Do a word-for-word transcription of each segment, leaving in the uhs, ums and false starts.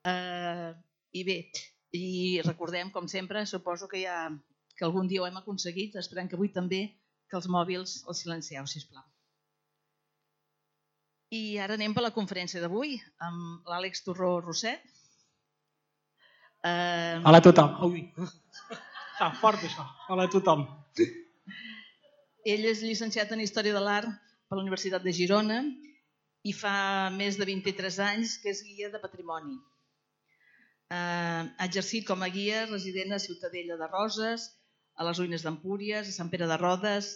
Uh, I bé, i recordem, com sempre, suposo que, ja, que algun dia ho hem aconseguit, esperem que avui també, que els mòbils els silencieu, sisplau. I ara anem per la conferència d'avui, amb l'Àlex Torró Roset. Uh... Hola a tothom. Ui. Està fort això. Hola a tothom. Ell és llicenciat en Història de l'Art per la Universitat de Girona i fa més de vint-i-tres anys que és guia de patrimoni. Ha exercit com a guia resident a Ciutadella de Roses, a les Ruïnes d'Empúries, a Sant Pere de Rodes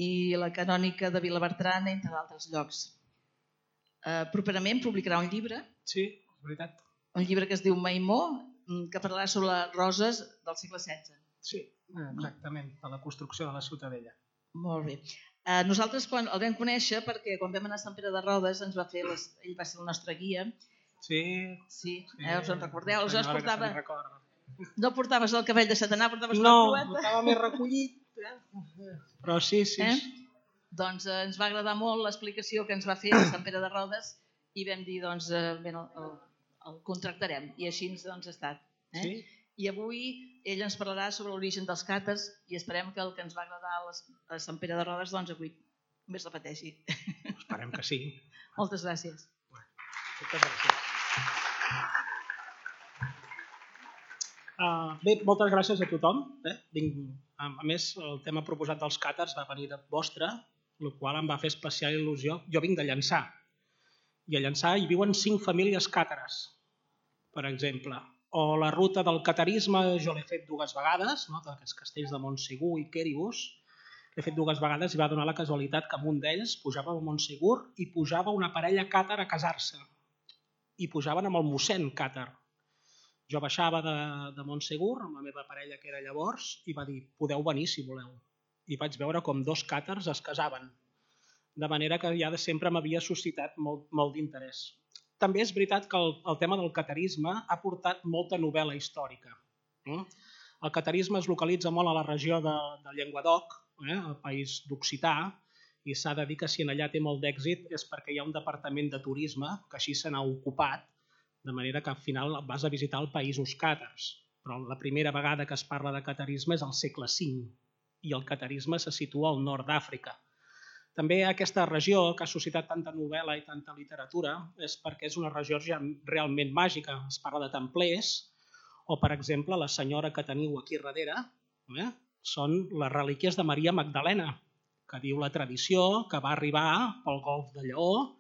i la Canònica de Vilabertran, entre altres llocs. Properament publicarà un llibre. Sí, és veritat. Un llibre que es diu Maimó, que parlarà sobre les roses del segle setze. Sí, exactament, de la construcció de la Ciutadella. Molt bé. Nosaltres quan el vam conèixer perquè quan vam anar a Sant Pere de Rodes ens va fer les... ell va ser el nostre guia. Sí. Sí, eh, us en recordeu? Aleshores portava... No portaves el cabell deixat anar, portaves no, una crueta. No, portava més recollit. Eh? Però sí, sí. Eh? Doncs eh, ens va agradar molt l'explicació que ens va fer a Sant Pere de Rodes i vam dir, doncs, eh, bé, el, el contractarem. I així doncs, ha estat. Eh? Sí. I avui ell ens parlarà sobre l'origen dels càtars i esperem que el que ens va agradar a, les, a Sant Pere de Rodes doncs avui més repeteixi. Esperem que sí. Moltes gràcies. Moltes gràcies. Uh, bé, moltes gràcies a tothom. Eh? Vinc, a més, el tema proposat dels càtars va venir de vostre, el qual em va fer especial il·lusió. Jo vinc de Llançà. I a Llançà hi viuen cinc famílies càtares, per exemple. O la ruta del catarisme, jo l'he fet dues vegades, no? D'aquests castells de Montsegur i Quéribus. L'he fet dues vegades i va donar la casualitat que en un d'ells pujava a Montsegur i pujava una parella càtar a casar-se. I pujaven amb el mossèn càtar. Jo baixava de, de Montsegur amb la meva parella que era llavors i va dir, podeu venir si voleu. I vaig veure com dos càtars es casaven. De manera que ja de sempre m'havia suscitat molt, molt d'interès. També és veritat que el, el tema del catarisme ha portat molta novel·la històrica. El catarisme es localitza molt a la regió de, de Llenguadoc, eh, el país d'Occità, i s'ha de dir que si en allà té molt d'èxit és perquè hi ha un departament de turisme que així se n'ha ocupat, de manera que al final vas a visitar els països càtars. Però la primera vegada que es parla de catarisme és al segle cinc, i el catarisme se situa al nord d'Àfrica. També aquesta regió, que ha suscitat tanta novel·la i tanta literatura, és perquè és una regió realment màgica. Es parla de templers, o, per exemple, la senyora que teniu aquí darrere, eh, són les relíquies de Maria Magdalena, que diu la tradició que va arribar pel golf de Lleó,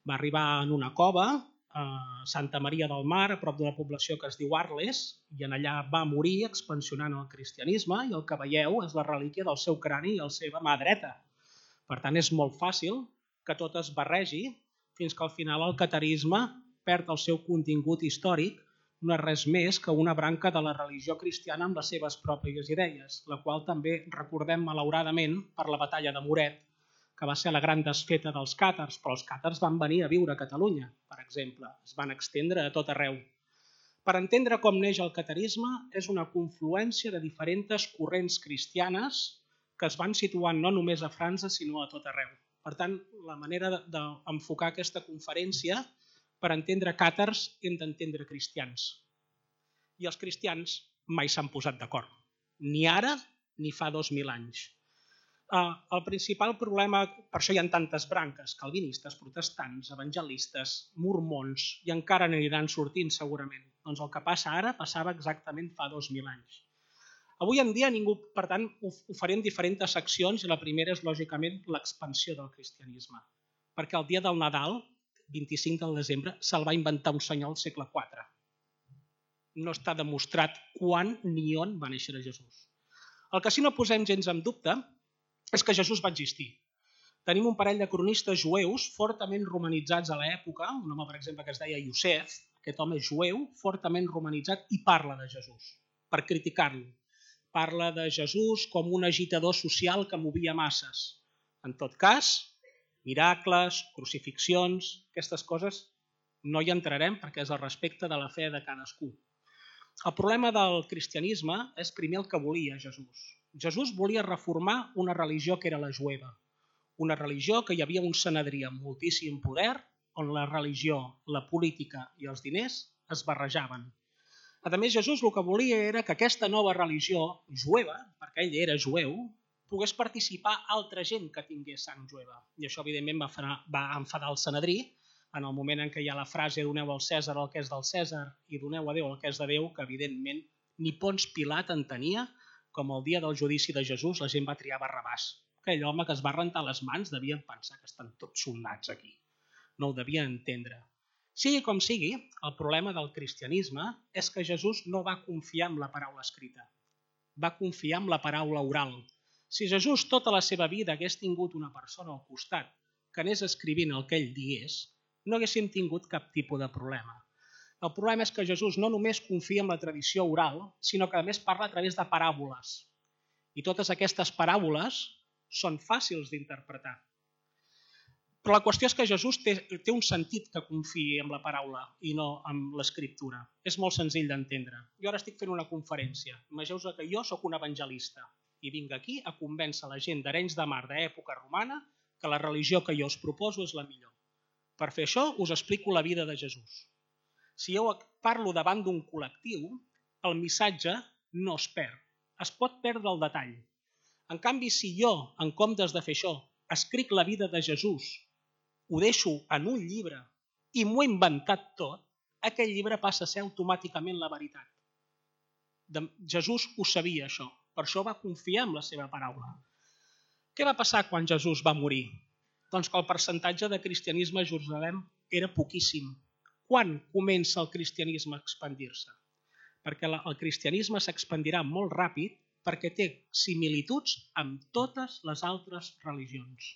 va arribar en una cova a Santa Maria del Mar, a prop d'una població que es diu Arles, i en allà va morir expansionant el cristianisme, i el que veieu és la relíquia del seu crani i la seva mà dreta. Per tant, és molt fàcil que tot es barregi fins que al final el catarisme perd el seu contingut històric, no és res més que una branca de la religió cristiana amb les seves pròpies idees, la qual també recordem malauradament per la batalla de Moret, que va ser la gran desfeta dels càtars, però els càtars van venir a viure a Catalunya, per exemple, es van estendre a tot arreu. Per entendre com neix el catarisme és una confluència de diferents corrents cristianes que es van situant no només a França, sinó a tot arreu. Per tant, la manera d'enfocar aquesta conferència, per entendre càtars, hem d'entendre cristians. I els cristians mai s'han posat d'acord, ni ara ni fa dos mil anys. El principal problema, per això hi ha tantes branques, calvinistes, protestants, evangelistes, mormons, i encara n'aniran sortint segurament. Doncs el que passa ara passava exactament fa dos mil anys. Avui en dia, ningú, per tant, ho faré en diferents seccions i la primera és, lògicament, l'expansió del cristianisme. Perquè el dia del Nadal, vint-i-cinc de desembre, se'l va inventar un senyor al segle quatre. No està demostrat quan ni on va néixer Jesús. El que sí no posem gens en dubte és que Jesús va existir. Tenim un parell de cronistes jueus fortament romanitzats a l'època, un home, per exemple, que es deia Iosef, aquest home jueu, fortament romanitzat, i parla de Jesús, per criticar-lo. Parla de Jesús com un agitador social que movia masses. En tot cas, miracles, crucifixions, aquestes coses no hi entrarem perquè és el respecte de la fe de cadascú. El problema del cristianisme és primer el que volia Jesús. Jesús volia reformar una religió que era la jueva, una religió que hi havia un sanedrí amb moltíssim poder, on la religió, la política i els diners es barrejaven. A més, Jesús el que volia era que aquesta nova religió jueva, perquè ell era jueu, pogués participar altra gent que tingués sang jueva. I això, evidentment, va enfadar el Sanedrí en el moment en què hi ha la frase doneu al Cèsar el que és del Cèsar i doneu a Déu el que és de Déu, que, evidentment, ni Pons Pilat entenia com el dia del judici de Jesús la gent va triar Barrabàs. Aquell home que es va rentar les mans devien pensar que estan tots soldats aquí. No ho devien entendre. Sigui com sigui, el problema del cristianisme és que Jesús no va confiar en la paraula escrita. Va confiar en la paraula oral. Si Jesús tota la seva vida hagués tingut una persona al costat que anés escrivint el que ell digués, no haguéssim tingut cap tipus de problema. El problema és que Jesús no només confia en la tradició oral, sinó que a més parla a través de paràboles. I totes aquestes paràboles són fàcils d'interpretar. Però la qüestió és que Jesús té, té un sentit que confiï en la paraula i no en l'escriptura. És molt senzill d'entendre. Jo ara estic fent una conferència. Imagineu-vos que jo sóc un evangelista i vinc aquí a convèncer la gent d'Arenys de Mar d'època romana que la religió que jo us proposo és la millor. Per fer això us explico la vida de Jesús. Si jo parlo davant d'un col·lectiu, el missatge no es perd. Es pot perdre el detall. En canvi, si jo, en comptes de fer això, escric la vida de Jesús, ho deixo en un llibre i m'ho he inventat tot, aquell llibre passa a ser automàticament la veritat. Jesús ho sabia, això. Per això va confiar en la seva paraula. Què va passar quan Jesús va morir? Doncs que el percentatge de cristianisme a Jerusalem era poquíssim. Quan comença el cristianisme a expandir-se? Perquè el cristianisme s'expandirà molt ràpid perquè té similituds amb totes les altres religions.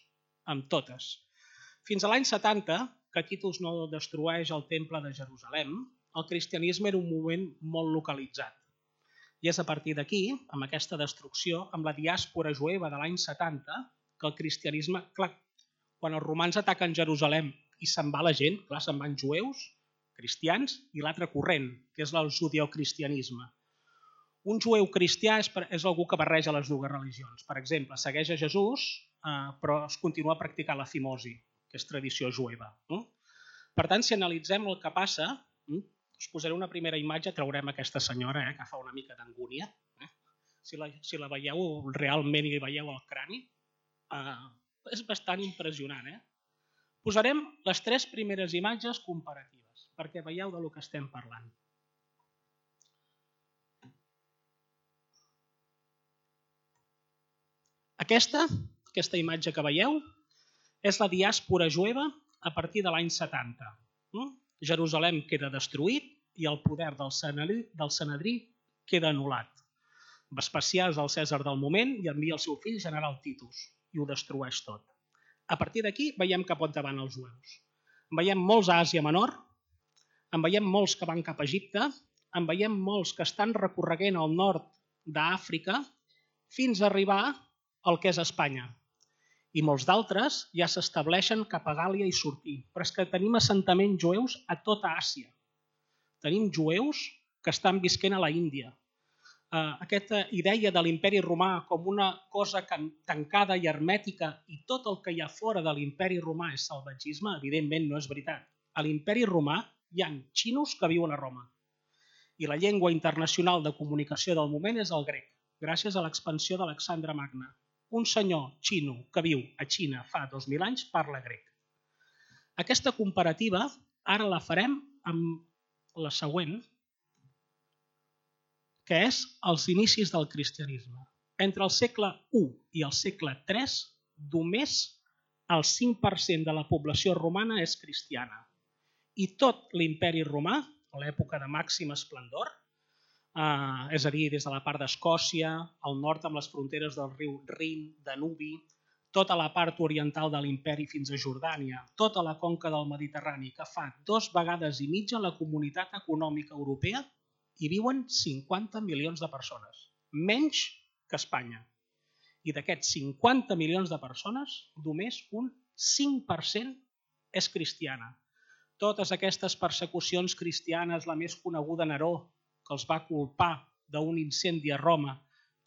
Amb totes. Fins a l'any setanta, que Titus no destrueix el temple de Jerusalem, el cristianisme era un moviment molt localitzat. I és a partir d'aquí, amb aquesta destrucció, amb la diàspora jueva de l'any setanta, que el cristianisme... Clar, quan els romans ataquen Jerusalem i se'n va la gent, clar, se'n van jueus, cristians, i l'altre corrent, que és el judeocristianisme. Un jueu cristià és, és algú que barreja les dues religions. Per exemple, segueix a Jesús, eh, però es continua practicant la fimosi, que és tradició jueva. No? Per tant, si analitzem el que passa, eh, us posaré una primera imatge, traurem aquesta senyora, eh, que fa una mica d'angúnia. Eh? Si, la, si la veieu realment i li veieu el crani, eh, és bastant impressionant. Eh? Posarem les tres primeres imatges comparatives, perquè veieu de lo que estem parlant. Aquesta, aquesta imatge que veieu, és la diàspora jueva a partir de l'any setanta. Jerusalem queda destruït i el poder del Sanedrí, del Sanedrí queda anul·lat. Vespasià és el Cèsar del moment i envia el seu fill general Titus i ho destrueix tot. A partir d'aquí veiem cap on van els jueus. En veiem molts a Àsia Menor, en veiem molts que van cap a Egipte, en veiem molts que estan recorreguent al nord d'Àfrica fins a arribar al que és Espanya. I molts d'altres ja s'estableixen cap a Gàlia i sortir. Però és que tenim assentaments jueus a tota Àsia. Tenim jueus que estan visquent a la Índia. Uh, aquesta idea de l'imperi romà com una cosa tancada i hermètica i tot el que hi ha fora de l'imperi romà és salvatgisme, evidentment no és veritat. A l'imperi romà hi ha xinos que viuen a Roma. I la llengua internacional de comunicació del moment és el grec, gràcies a l'expansió d'Alexandre Magne. Un senyor xino que viu a Xina fa dos mil anys parla grec. Aquesta comparativa ara la farem amb la següent, que és els inicis del cristianisme. Entre el segle u i el segle tres, només el cinc per cent de la població romana és cristiana. I tot l'imperi romà, a l'època de màxim esplendor, Uh, és a dir, des de la part d'Escòcia, al nord amb les fronteres del riu Rin, Danubi, tota la part oriental de l'imperi fins a Jordània, tota la conca del Mediterrani, que fa dos vegades i mitja la comunitat econòmica europea, hi viuen cinquanta milions de persones, menys que Espanya. I d'aquests cinquanta milions de persones, només un cinc per cent és cristiana. Totes aquestes persecucions cristianes, la més coneguda Neró, que els va culpar d'un incendi a Roma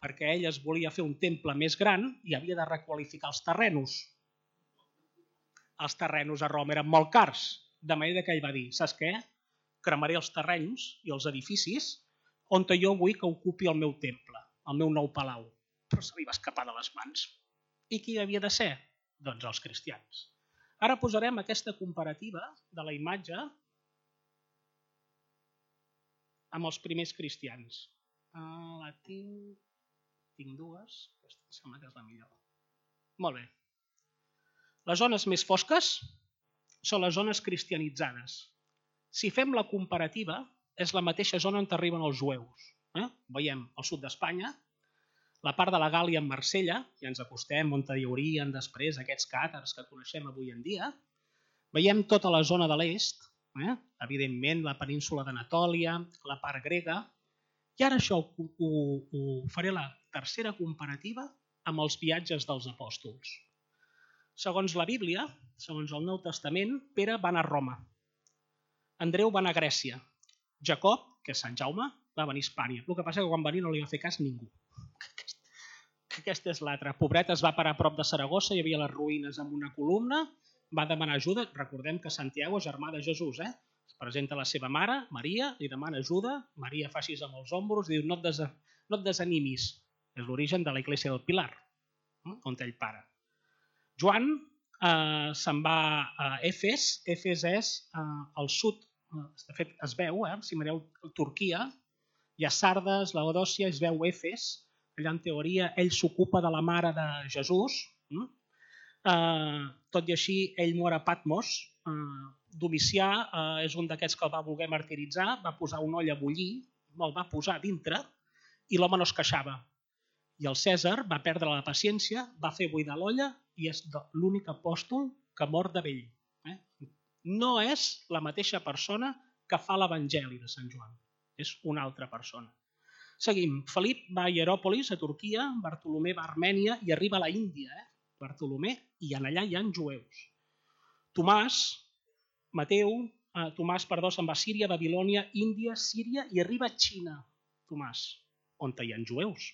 perquè ell es volia fer un temple més gran i havia de requalificar els terrenos. Els terrenos a Roma eren molt cars, de manera que ell va dir, saps què? cremaré els terrenys i els edificis on jo vull que ocupi el meu temple, el meu nou palau. Però se li va escapar de les mans. I qui havia de ser? Doncs els cristians. Ara posarem aquesta comparativa de la imatge amb els primers cristians. Uh, la tinc... tinc dues. Aquesta em sembla que és la millor. Molt bé. Les zones més fosques són les zones cristianitzades. Si fem la comparativa, és la mateixa zona on arriben els jueus. Eh? Veiem al sud d'Espanya, la part de la Gàlia en Marsella, i ens acostem on hi haurien després aquests càtars que coneixem avui en dia. Veiem tota la zona de l'est, eh? Evidentment la península d'Anatòlia, la part grega, i ara això ho, ho, ho faré la tercera comparativa amb els viatges dels apòstols. Segons la Bíblia, segons el Nou Testament, Pere va anar a Roma, Andreu va anar a Grècia, Jacob, que és Sant Jaume, va venir a Hispània. El que passa és que quan va venir no li va fer cas ningú. Aquesta és l'altra. Pobret es va parar a prop de Saragossa, hi havia les ruïnes amb una columna, va demanar ajuda. Recordem que Santiago és germà de Jesús, eh? Es presenta la seva mare, Maria, li demana ajuda, Maria fa així amb els ombros, diu no et, des... no et desanimis. És l'origen de la Iglesia del Pilar, on ell para. Joan eh, se'n va a Efes. Efes és eh, al sud. De fet, es veu, eh? Si mireu Turquia, hi ha Sardes, Laodòcia, es veu Efes, allà en teoria ell s'ocupa de la mare de Jesús, eh, tot i així ell mor a Patmos, eh, Domicià eh, és un d'aquests que el va voler martiritzar, va posar un oll a bullir, el va posar dintre i l'home no es queixava. I el Cèsar va perdre la paciència, va fer buidar l'olla i és l'únic apòstol que mor de vell. Eh? No és la mateixa persona que fa l'Evangeli de Sant Joan. És una altra persona. Seguim. Felip va a Hieròpolis, a Turquia, Bartolomé va a Armènia i arriba a la Índia. Eh? Bartolomé, i en allà hi ha jueus. Tomàs, Mateu, eh, Tomàs, perdó, se'n va a Síria, Babilònia, Índia, Síria i arriba a Xina, Tomàs, on hi ha jueus.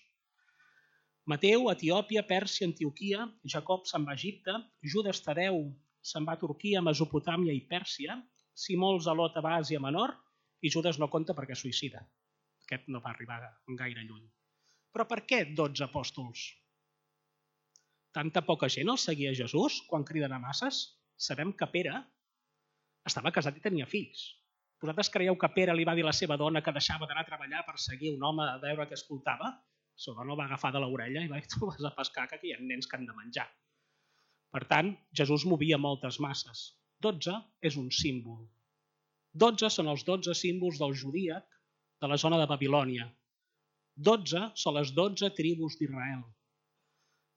Mateu, Etiòpia, Pèrsia, Antioquia, Jacob se'n va a Egipte, Judes Tadeu se'n va a Turquia, Mesopotàmia i Pèrsia, Simó el Zelot va a Àsia Menor i Judes no compta perquè és suïcida. Aquest no va arribar gaire lluny. Però per què dotze apòstols? Tanta poca gent el seguia Jesús quan criden a masses? Sabem que Pere estava casat i tenia fills. Vosaltres creieu que Pere li va dir a la seva dona que deixava d'anar a treballar per seguir un home a veure què escoltava? La seva dona el va agafar de l'orella i va dir tu vas a pescar que aquí hi ha nens que han de menjar. Per tant, Jesús movia moltes masses. Dotze és un símbol. Dotze són els dotze símbols del judíac de la zona de Babilònia. Dotze són les dotze tribus d'Israel.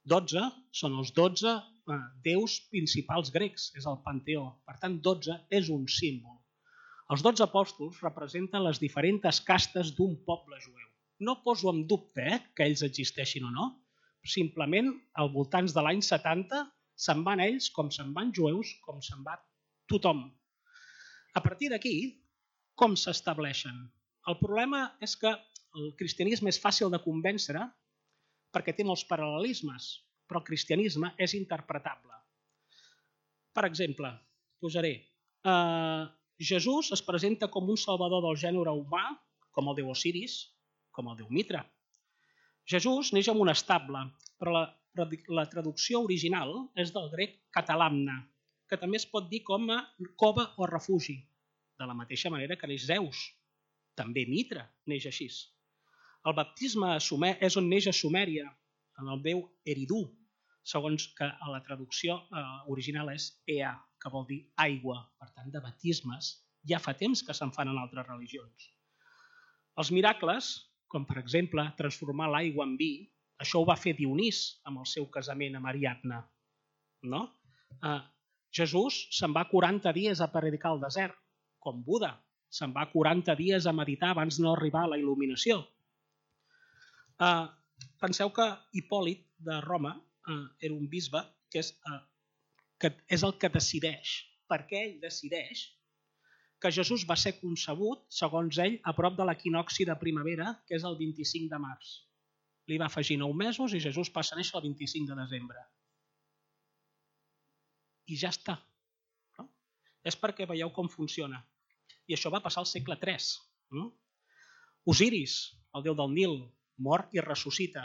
Dotze són els dotze eh, déus principals grecs, és el panteó. Per tant, dotze és un símbol. Els dotze apòstols representen les diferents castes d'un poble jueu. No poso en dubte eh, que ells existeixin o no. Simplement, al voltant de l'any setanta, se'n van ells com se'n van jueus, com se'n va tothom. A partir d'aquí, com s'estableixen? El problema és que el cristianisme és fàcil de convèncer perquè té molts paral·lelismes, però el cristianisme és interpretable. Per exemple, posaré, eh, Jesús es presenta com un salvador del gènere humà, com el déu Osiris, com el déu Mitra. Jesús neix en un estable, però la, la traducció original és del grec catalamna, que també es pot dir com a cova o refugi, de la mateixa manera que neix Zeus. També Mitra neix així. El baptisme a Sumer és on neix a Sumèria, en el déu Eridu, segons que la traducció eh, original és Ea, que vol dir aigua. Per tant, de baptismes ja fa temps que se'n fan en altres religions. Els miracles, com per exemple transformar l'aigua en vi, això ho va fer Dionís amb el seu casament amb Ariadna. No? Eh, Jesús se'n va quaranta dies a predicar al desert, com Buda. Se'n va quaranta dies a meditar abans de no arribar a la il·luminació. Eh, penseu que Hipòlit de Roma eh, era un bisbe que és, eh, que és el que decideix. Per què ell decideix que Jesús va ser concebut, segons ell, a prop de l'equinocci de primavera, que és el vint-i-cinc de març. Li va afegir nou mesos i Jesús passa a néixer el vint-i-cinc de desembre. I ja està. No? És perquè veieu com funciona. I això va passar al segle tres. Osiris, el déu del Nil, mor i ressuscita.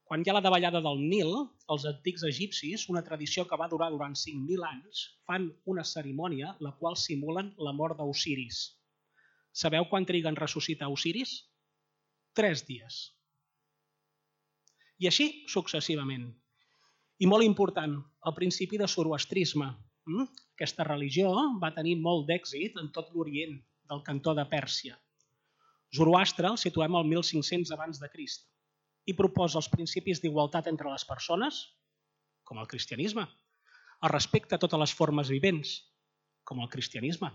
Quan hi ha la davallada del Nil, els antics egipcis, una tradició que va durar durant cinc mil anys, fan una cerimònia la qual simulen la mort d'Osiris. Sabeu quan triguen a ressuscitar Osiris? Tres dies. I així successivament. I molt important, el principi de zoroastrisme. Aquesta religió va tenir molt d'èxit en tot l'Orient, del cantó de Pèrsia. Zoroastre el situem al mil cinc-cents abans de Crist i proposa els principis d'igualtat entre les persones, com el cristianisme, el respecte a totes les formes vivents, com el cristianisme,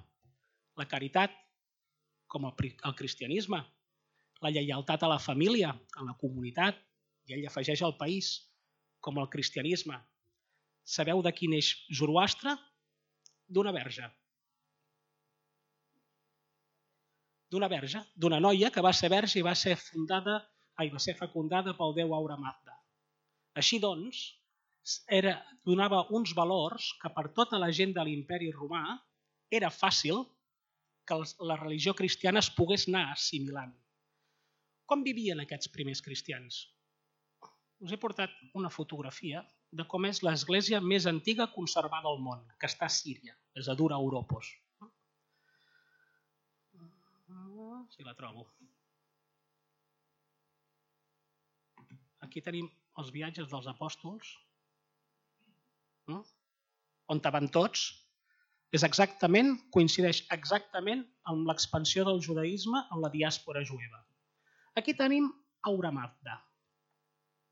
la caritat, com el cristianisme, la lleialtat a la família, a la comunitat, i ell afegeix al país, com el cristianisme. Sabeu de qui neix Zoroastre? D'una verge. D'una verge, d'una noia que va ser verge i va ser fundada, ai, va ser fecundada pel déu Aura Mazda. Així doncs, era, donava uns valors que per tota la gent de l'imperi romà era fàcil que la religió cristiana es pogués anar assimilant. Com vivien aquests primers cristians? Us he portat una fotografia de com és l'església més antiga conservada al món, que està a Síria, és a Dura Europos. Si la trobo. Aquí tenim els viatges dels apòstols, on van tots. És exactament, coincideix exactament amb l'expansió del judaïsme en la diàspora jueva. Aquí tenim Aura Mazda.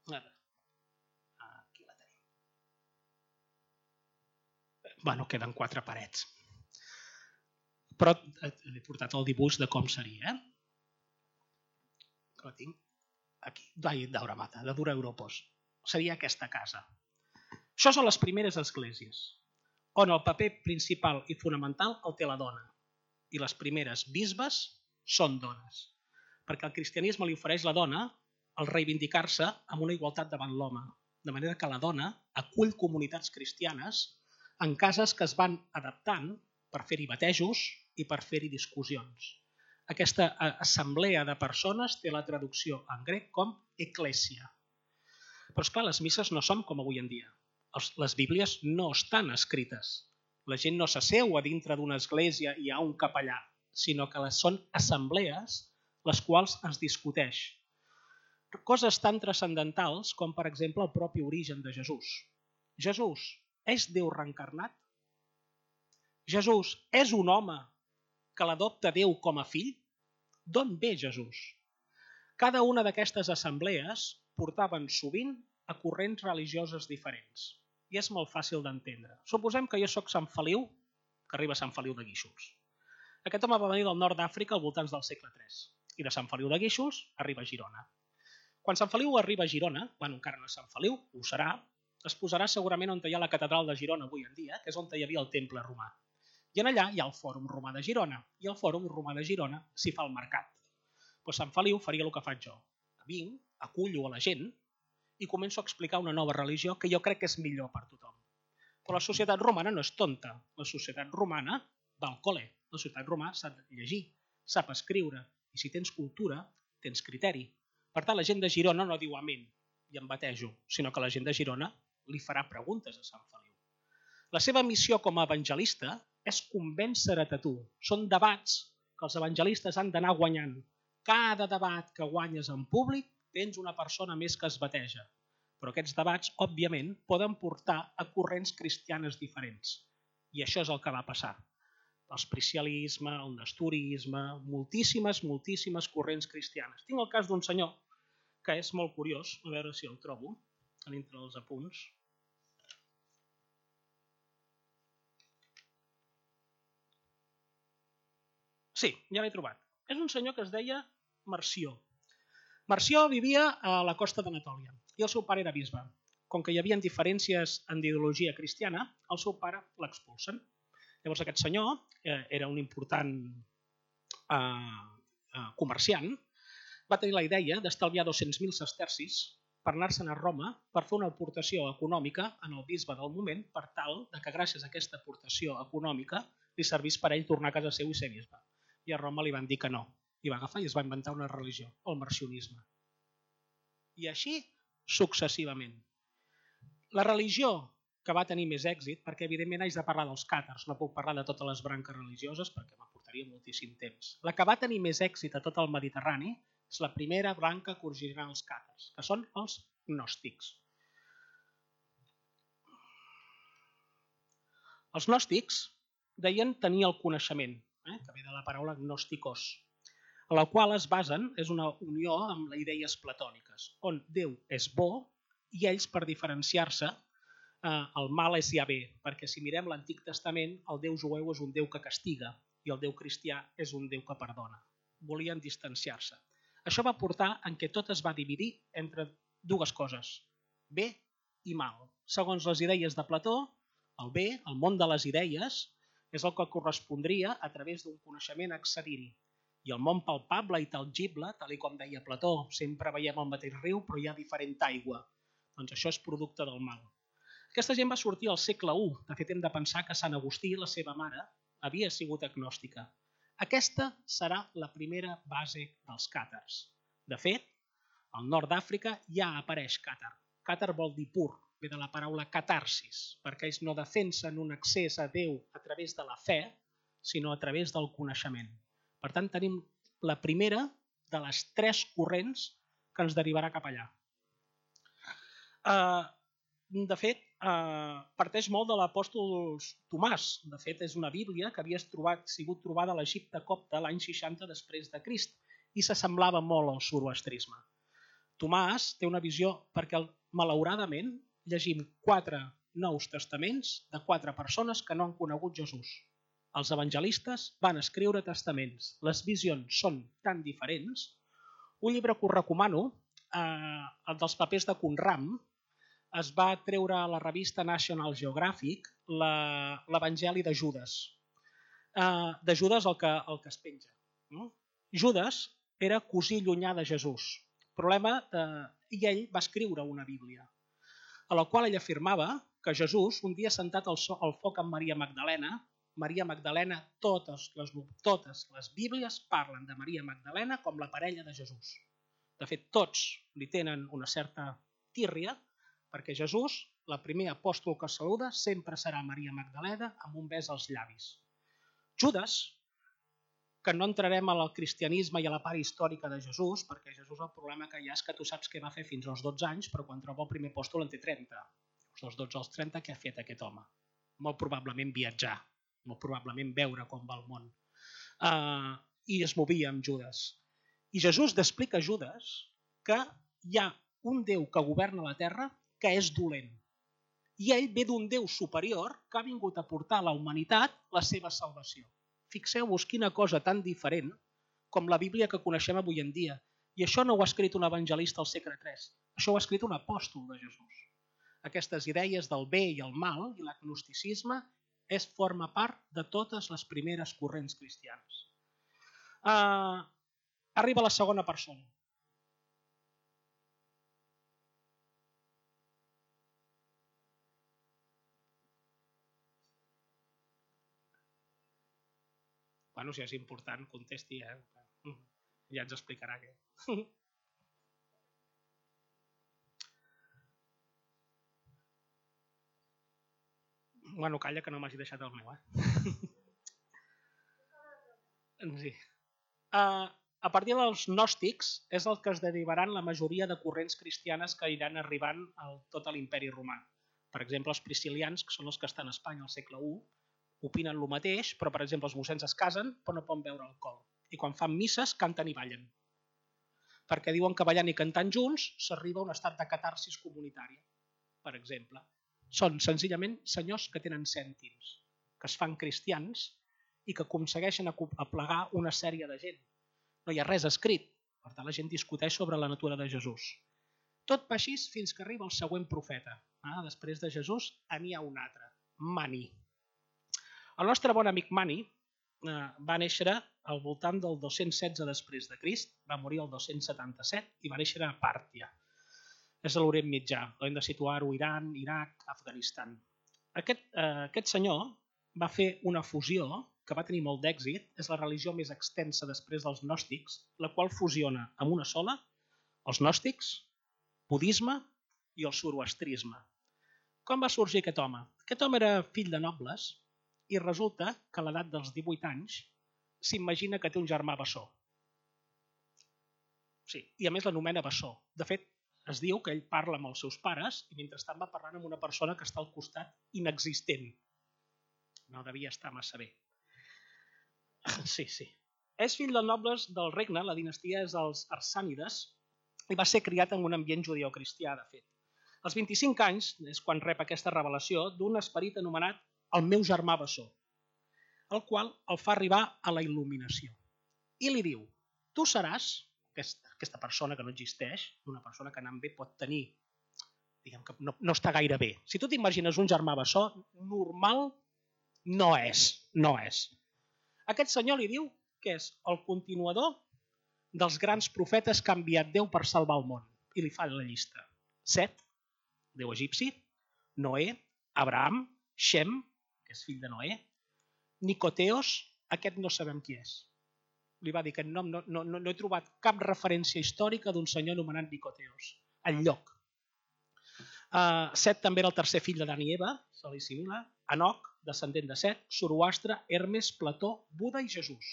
Aquí la tenim. Bueno, queden quatre parets. Però he portat el dibuix de com seria. La tinc aquí, d'Aura Mazda, de Dura Europos. Seria aquesta casa. Això són les primeres esglésies, on el paper principal i fonamental el té la dona. I les primeres bisbes són dones. Perquè el cristianisme li ofereix la dona el reivindicar-se amb una igualtat davant l'home. De manera que la dona acull comunitats cristianes en cases que es van adaptant per fer-hi batejos i per fer-hi discussions. Aquesta assemblea de persones té la traducció en grec com eclèsia. Però esclar, les misses no són com avui en dia. Les bíblies no estan escrites. La gent no s'asseu a dintre d'una església i hi ha un capellà, sinó que són assemblees les quals es discuteix. Coses tan transcendentals com, per exemple, el propi origen de Jesús. Jesús és Déu reencarnat? Jesús és un home que l'adopta Déu com a fill? D'on ve Jesús? Cada una d'aquestes assemblees portaven sovint a corrents religioses diferents. I és molt fàcil d'entendre. Suposem que jo soc Sant Feliu, que arriba a Sant Feliu de Guíxols. Aquest home va venir del nord d'Àfrica al voltants del segle tres. I de Sant Feliu de Guíxols arriba a Girona. Quan Sant Feliu arriba a Girona, bueno, encara no és Sant Feliu, ho serà, es posarà segurament on hi ha la catedral de Girona avui en dia, que és on hi havia el temple romà. I en allà hi ha el Fòrum Romà de Girona, i al Fòrum Romà de Girona s'hi fa el mercat. Doncs Sant Feliu faria el que faig jo. Vinc, acullo a la gent i començo a explicar una nova religió que jo crec que és millor per tothom. Però la societat romana no és tonta. La societat romana va al col·le. La societat romana sap llegir, sap escriure, i si tens cultura, tens criteri. Per tant, la gent de Girona no diu amén i em batejo, sinó que la gent de Girona li farà preguntes a Sant Feliu. La seva missió com a evangelista és convèncer-te a tu. Són debats que els evangelistes han d'anar guanyant. Cada debat que guanyes en públic tens una persona més que es bateja. Però aquests debats, òbviament, poden portar a corrents cristianes diferents. I això és el que va passar. L'espricialisme, el nesturisme, moltíssimes, moltíssimes corrents cristianes. Tinc el cas d'un senyor que és molt curiós, a veure si el trobo, a dintre dels apunts. Sí, ja l'he trobat. És un senyor que es deia Marció. Marció vivia a la costa d'Anatòlia i el seu pare era bisbe. Com que hi havia diferències en ideologia cristiana, el seu pare l'expulsen. Llavors aquest senyor era un important comerciant, va tenir la idea d'estalviar dos-cents mil sestercis per anar-se'n a Roma per fer una aportació econòmica en el bisbe del moment per tal que gràcies a aquesta aportació econòmica li servís per ell tornar a casa seu i ser bisbe. i a Roma li van dir que no. I va agafar i es va inventar una religió, el marcionisme. I així successivament. La religió que va tenir més èxit, perquè evidentment haig de parlar dels càtars, no puc parlar de totes les branques religioses perquè m'aportaria moltíssim temps. La que va tenir més èxit a tot el Mediterrani és la primera branca que originarà els càtars, que són els gnòstics. Els gnòstics deien tenir el coneixement, eh, que ve de la paraula gnòsticos, a la qual es basen, és una unió amb les idees platòniques, on Déu és bo i ells, per diferenciar-se, eh, el mal és Yahvé, perquè si mirem l'Antic Testament, el Déu jueu és un Déu que castiga i el Déu cristià és un Déu que perdona. Volien distanciar-se. Això va portar en què tot es va dividir entre dues coses, bé i mal. Segons les idees de Plató, el bé, el món de les idees, és el que correspondria a través d'un coneixement accedir-hi. I el món palpable i tangible, tal com deia Plató, sempre veiem el mateix riu però hi ha diferent aigua. Doncs això és producte del mal. Aquesta gent va sortir al segle u. De fet, hem de pensar que Sant Agustí, la seva mare, havia sigut agnòstica. Aquesta serà la primera base dels càtars. De fet, al nord d'Àfrica ja apareix càtar. Càtar vol dir pur, ve de la paraula catarsis, perquè ells no defensen un accés a Déu a través de la fe, sinó a través del coneixement. Per tant, tenim la primera de les tres corrents que ens derivarà cap allà. De fet, parteix molt de l'apòstol Tomàs. De fet, és una Bíblia que havia sigut trobada a l'Egipte copte l'any seixanta després de Crist i s'assemblava molt al zoroastrisme. Tomàs té una visió perquè, malauradament, llegim quatre nous testaments de quatre persones que no han conegut Jesús. Els evangelistes van escriure testaments. Les visions són tan diferents. Un llibre que us recomano, el dels papers de Qumran, es va treure a la revista National Geographic l'Evangeli de Judes. De Judes el que, el que es penja. Judes era cosí llunyà de Jesús. Problema de... I ell va escriure una Bíblia, a la qual ell afirmava que Jesús, un dia sentat al, so, al foc amb Maria Magdalena, Maria Magdalena, totes les, totes les Bíblies parlen de Maria Magdalena com la parella de Jesús. De fet, tots li tenen una certa tírria, perquè Jesús, la primer apòstol que saluda, sempre serà Maria Magdalena amb un bes als llavis. Judes, que no entrarem al cristianisme i a la part històrica de Jesús, perquè Jesús el problema que hi ha és que tu saps què va fer fins als dotze anys, però quan troba el primer apòstol en té trenta. Dels dotze als trenta, què ha fet aquest home? Molt probablement viatjar, molt probablement veure com va el món. Uh, I es movia amb Judes. I Jesús explica a Judes que hi ha un Déu que governa la terra que és dolent. I ell ve d'un Déu superior que ha vingut a portar a la humanitat la seva salvació. Fixeu-vos quina cosa tan diferent com la Bíblia que coneixem avui en dia. I això no ho ha escrit un evangelista al segle tres. Això ho ha escrit un apòstol de Jesús. Aquestes idees del bé i el mal i l'agnosticisme és forma part de totes les primeres corrents cristianes. Uh, arriba la segona persona. Bueno, si és important, contesti, eh? Ja ens explicarà què. Bueno, calla que no m'hagi deixat el meu, eh? Sí. Uh, a partir dels gnòstics és el que es derivaran la majoria de corrents cristianes que iran arribant a tot l'imperi romà. Per exemple, els priscilians, que són els que estan a Espanya al segle u, opinen el mateix, però per exemple els mossens es casen però no poden beure alcohol. I quan fan misses canten i ballen. Perquè diuen que ballant i cantant junts s'arriba a un estat de catarsis comunitària, per exemple. Són senzillament senyors que tenen cèntims, que es fan cristians i que aconsegueixen aplegar una sèrie de gent. No hi ha res escrit, per tant la gent discuteix sobre la natura de Jesús. Tot va així fins que arriba el següent profeta. Ah, després de Jesús n'hi ha un altre, Mani. El nostre bon amic Mani eh, va néixer al voltant del dos-cents setze després de Crist, va morir el dos-cents setanta-set i va néixer a Pàrtia. És a l'Orient Mitjà, hem de situar-ho Iran, Iraq, Afganistan. Aquest, eh, aquest senyor va fer una fusió que va tenir molt d'èxit, és la religió més extensa després dels gnòstics, la qual fusiona amb una sola els gnòstics, budisme i el zoroastrisme. Com va sorgir aquest home? Aquest home era fill de nobles i resulta que a l'edat dels divuit anys s'imagina que té un germà bessó. Sí, i a més l'anomena bessó. De fet, es diu que ell parla amb els seus pares i mentrestant va parlant amb una persona que està al costat inexistent. No devia estar massa bé. Sí, sí. És fill de nobles del regne, la dinastia és els Arsànides, i va ser criat en un ambient judeocristià, de fet. Als vint-i-cinc anys és quan rep aquesta revelació d'un esperit anomenat el meu germà bessó, el qual el fa arribar a la il·luminació. I li diu, tu seràs, aquesta persona que no existeix, una persona que anant bé pot tenir, diguem que no, no està gaire bé. Si tu t'imagines un germà bessó, normal no és, no és. Aquest senyor li diu que és el continuador dels grans profetes que ha enviat Déu per salvar el món. I li fa la llista. Set, Déu egipci, Noé, Abraham, Shem, que és fill de Noé, Nicoteos, aquest no sabem qui és. Li va dir que no, no, no, no he trobat cap referència històrica d'un senyor anomenat Nicoteos, enlloc. Uh, Set també era el tercer fill de Dan i Eva, se li assimila, Enoc, descendent de Set, Zoroastre, Hermes, Plató, Buda i Jesús.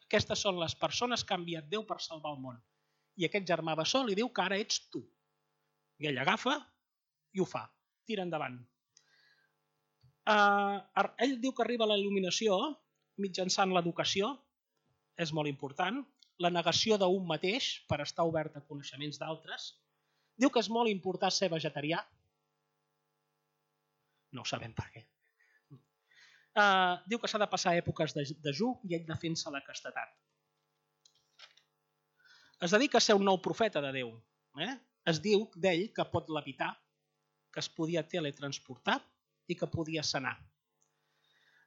Aquestes són les persones que ha enviat Déu per salvar el món. I aquest germà bessó li diu que ara ets tu. I ell agafa i ho fa. Tira endavant. Uh, ell diu que arriba a la il·luminació mitjançant l'educació, és molt important, la negació d'un mateix per estar obert a coneixements d'altres. Diu que és molt important ser vegetarià. No ho sabem per què. Uh, diu que s'ha de passar èpoques de dejú i ell defensa la castetat. Es dedica a ser un nou profeta de Déu. Eh? Es diu d'ell que pot levitar, que es podia teletransportar i que podia sanar.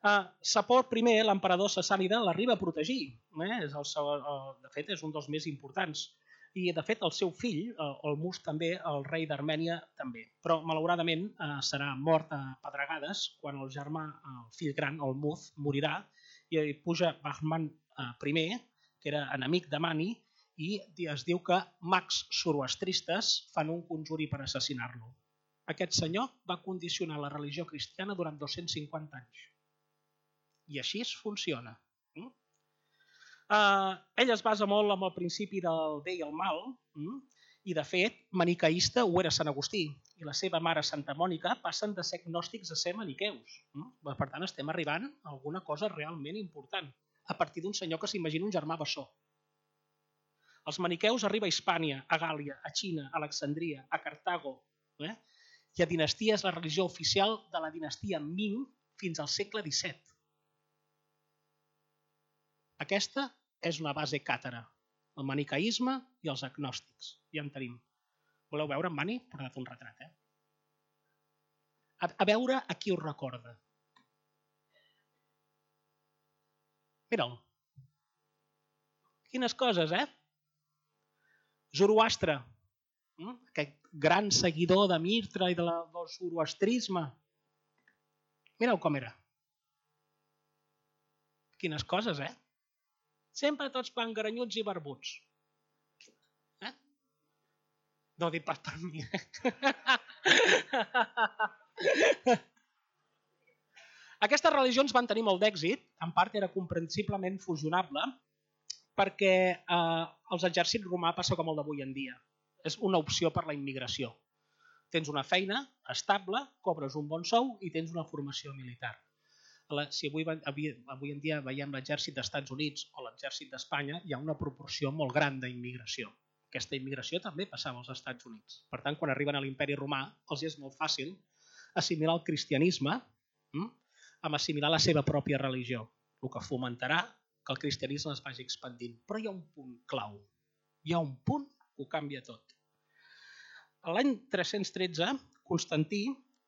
Uh, Sapor I, l'emperador sassànida, l'arriba a protegir. Eh? És el seu, uh, de fet, és un dels més importants. I, de fet, el seu fill, el Mus també, el rei d'Armènia també. Però, malauradament, eh, serà mort a pedregades quan el germà, el fill gran, el Muz, morirà i puja Bahman I, que era enemic de Mani, i es diu que mags zoroastristes fan un conjuri per assassinar-lo. Aquest senyor va condicionar la religió cristiana durant dos-cents cinquanta anys. I així es funciona. Mm? Uh, ell es basa molt en el principi del bé i el mal, mm? I de fet, maniqueista ho era Sant Agustí, i la seva mare Santa Mònica passen de ser gnòstics a ser maniqueus. Mm? Per tant, estem arribant a alguna cosa realment important, a partir d'un senyor que s'imagina un germà bessó. Els maniqueus arriba a Hispània, a Gàlia, a Xina, a Alexandria, a Cartago, eh? I a dinastia és la religió oficial de la dinastia Ming fins al segle disset. Aquesta és una base càtara, el maniqueisme i els agnòstics. Ja en tenim. Voleu veure en Mani? He portat un retrat, eh? A, a veure a qui us recorda. Mira'l. Quines coses, eh? Zoroastre, aquest gran seguidor de Mirtra i de la, del zoroastrisme. Mireu com era. Quines coses, eh? Sempre tots pangaranyuts i barbuts. Eh? No dic pas per mi. Aquestes religions van tenir molt d'èxit, en part era comprensiblement fusionable, perquè eh, els exèrcits romà passa com el d'avui en dia. És una opció per la immigració. Tens una feina estable, cobres un bon sou i tens una formació militar. Si avui, avui en dia veiem l'exèrcit dels Estats Units o l'exèrcit d'Espanya, hi ha una proporció molt gran d'immigració. Aquesta immigració també passava als Estats Units. Per tant, quan arriben a l'imperi romà, els és molt fàcil assimilar el cristianisme hm, amb assimilar la seva pròpia religió, el que fomentarà que el cristianisme es vagi expandint. Però hi ha un punt clau. Hi ha un punt que ho canvia tot. L'any tres-cents tretze, Constantí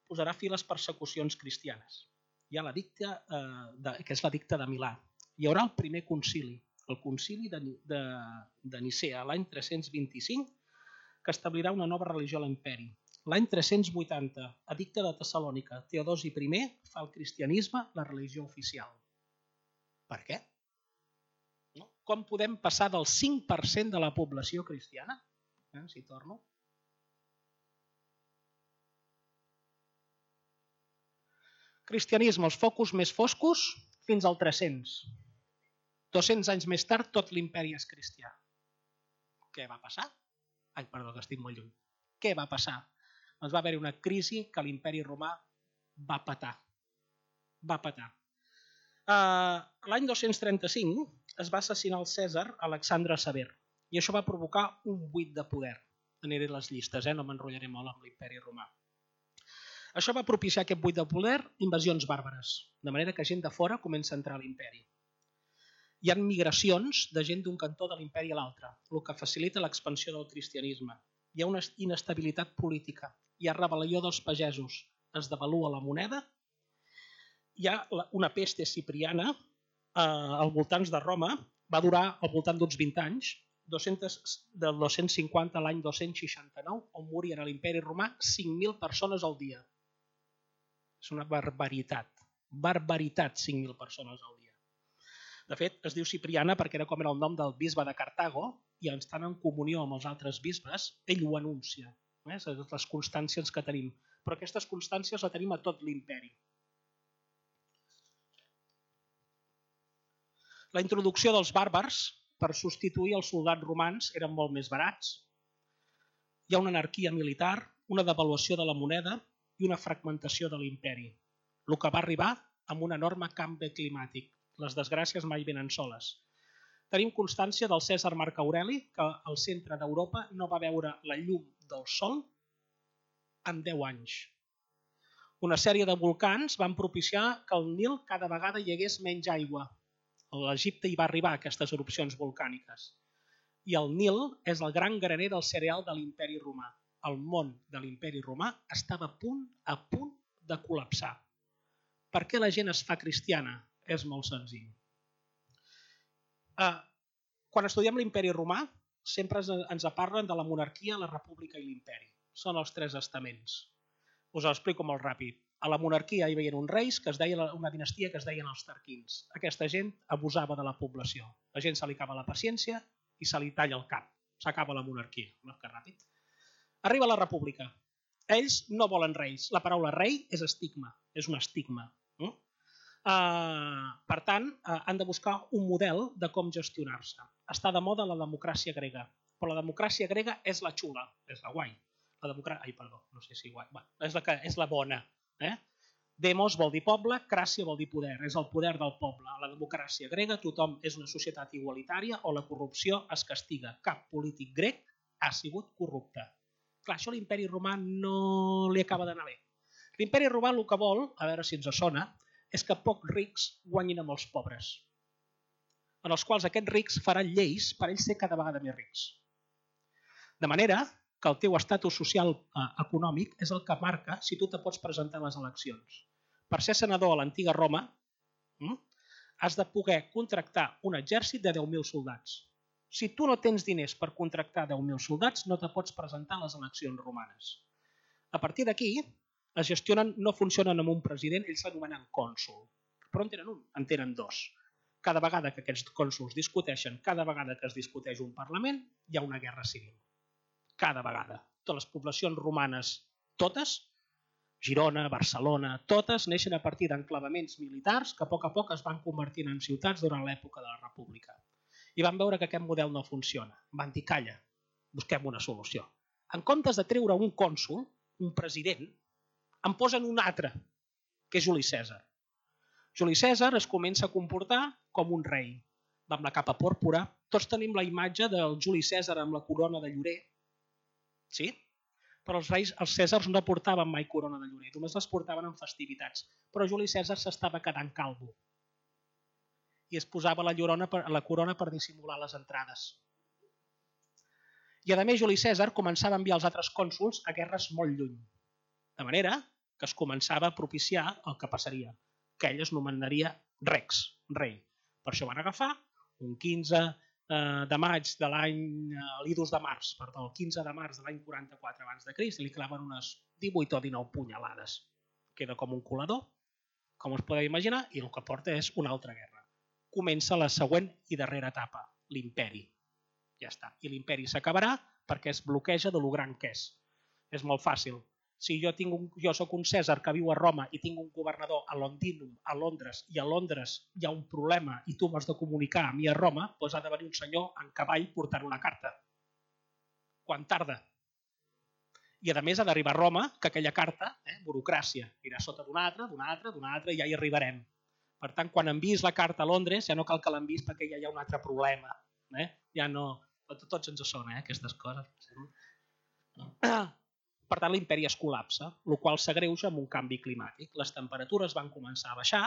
posarà fi a les persecucions cristianes. Hi ha l'edicte, eh, de, que és l'edicte de Milà. Hi haurà el primer concili, el concili de, de, de Nicea, l'any tres-cents vint-i-cinc, que establirà una nova religió a l'imperi. L'any tres-cents vuitanta, edicte de Tessalònica, Teodosi I fa el cristianisme la religió oficial. Per què? No? Com podem passar del cinc per cent de la població cristiana? Eh, si torno. Cristianisme, els focus més foscos fins al tres-cents. dos-cents anys més tard, tot l'imperi és cristià. Què va passar? Ai, perdó, que estic molt lluny. Què va passar? Doncs va haver-hi una crisi que l'imperi romà va petar. Va petar. Uh, L'any dos-cents trenta-cinc es va assassinar el Cèsar Alexandre Sever i això va provocar un buit de poder. Aniré a les llistes, eh? No m'enrotllaré molt amb l'imperi romà. Això va propiciar aquest buit de poder, invasions bàrbares, de manera que gent de fora comença a entrar a l'imperi. Hi ha migracions de gent d'un cantó de l'imperi a l'altre, el que facilita l'expansió del cristianisme. Hi ha una inestabilitat política, hi ha rebel·lió dels pagesos, es devalua la moneda, hi ha una peste cipriana eh, als voltants de Roma, va durar al voltant d'uns vint anys, dos-cents, del dos-cents cinquanta a l'any dos-cents seixanta-nou, on morien a l'imperi romà cinc mil persones al dia. És una barbaritat. Barbaritat, cinc mil persones al dia. De fet, es diu Cipriana perquè era com era el nom del bisbe de Cartago i estant en comunió amb els altres bisbes, ell ho anuncia. Eh? Les constàncies que tenim. Però aquestes constàncies les tenim a tot l'imperi. La introducció dels bàrbars per substituir els soldats romans eren molt més barats. Hi ha una anarquia militar, una devaluació de la moneda i una fragmentació de l'imperi, el que va arribar amb un enorme canvi climàtic. Les desgràcies mai venen soles. Tenim constància del Cèsar Marc Aureli, que al centre d'Europa no va veure la llum del sol en deu anys. Una sèrie de volcans van propiciar que al Nil cada vegada hi hagués menys aigua. A l'Egipte hi va arribar aquestes erupcions volcàniques. I el Nil és el gran graner del cereal de l'imperi romà. El món de l'imperi romà estava a punt, a punt de col·lapsar. Per què la gent es fa cristiana? És molt senzill. Uh, quan estudiem l'imperi romà, sempre ens parlen de la monarquia, la república i l'imperi. Són els tres estaments. Us ho explico molt ràpid. A la monarquia hi havia uns reis, que es deia una dinastia que es deien els Tarquins. Aquesta gent abusava de la població. La gent se li acaba la paciència i se li talla el cap. S'acaba la monarquia. No, que ràpid. Arriba la república. Ells no volen reis. La paraula rei és estigma. És un estigma. No? Uh, per tant, uh, han de buscar un model de com gestionar-se. Està de moda la democràcia grega. Però la democràcia grega és la xula. És la guai. La democràcia... Ai, perdó. No sé si guai. Va, és, la que... és la bona. Eh? Demos vol dir poble, cràcia vol dir poder, és el poder del poble. A la democràcia grega tothom és una societat igualitària o la corrupció es castiga. Cap polític grec ha sigut corrupte. Clar, això a l'imperi romà no li acaba d'anar bé. L'imperi romà el que vol, a veure si ens sona, és que pocs rics guanyin amb els pobres, en els quals aquests rics faran lleis per ells ser cada vegada més rics. De manera que el teu estatus social eh, econòmic és el que marca si tu te pots presentar a les eleccions. Per ser senador a l'antiga Roma, hm, has de poder contractar un exèrcit de deu mil soldats. Si tu no tens diners per contractar deu mil soldats, no te pots presentar a les eleccions romanes. A partir d'aquí, es gestionen, no funcionen amb un president, ells s'anomenen cònsol. Però en tenen un, en tenen dos. Cada vegada que aquests cònsols discuteixen, cada vegada que es discuteix un parlament, hi ha una guerra civil. Cada vegada. Totes les poblacions romanes, totes, Girona, Barcelona, totes neixen a partir d'enclavaments militars que a poc a poc es van convertint en ciutats durant l'època de la República. I van veure que aquest model no funciona. Van dir, calla, busquem una solució. En comptes de treure un cònsol, un president, en posen un altre, que és Juli Cèsar. Juli Cèsar es comença a comportar com un rei. Va amb la capa pòrpora. Tots tenim la imatge del Juli Cèsar amb la corona de llorer. Sí? Però els reis, els Cèsars no portaven mai corona de llorer, només les portaven en festivitats. Però Juli Cèsar s'estava quedant calvo i es posava la, llorona per, la corona per dissimular les entrades. I a més Juli Cèsar començava a enviar els altres cònsols a guerres molt lluny. De manera que es començava a propiciar el que passaria, que ell es nomenaria Rex, rei. Per això van agafar un quinze de maig de l'any, l'idus de març, perdó, el quinze de març de l'any quaranta-quatre abans de Crist, i li claven unes divuit o dinou punyalades. Queda com un colador, com us podeu imaginar, i el que porta és una altra guerra. comença la següent i darrera etapa, l'imperi. Ja està. I l'imperi s'acabarà perquè es bloqueja de lo gran que és. És molt fàcil. Si jo, tinc un, jo soc un Cèsar que viu a Roma i tinc un governador a Londinum, a Londres, i a Londres hi ha un problema i tu m'has de comunicar a mi a Roma, doncs ha de venir un senyor en cavall portant una carta. Quan tarda? I a més ha d'arribar a Roma, que aquella carta, eh, burocràcia, irà sota d'una altra, d'una altra, d'una altra, i ja hi arribarem. Per tant, quan envies la carta a Londres, ja no cal que l'envies perquè ja hi ha un altre problema. Eh? Ja no... Tots ens sona, eh, aquestes coses. Per tant, l'imperi es col·lapsa, el qual s'agreuja amb un canvi climàtic. Les temperatures van començar a baixar,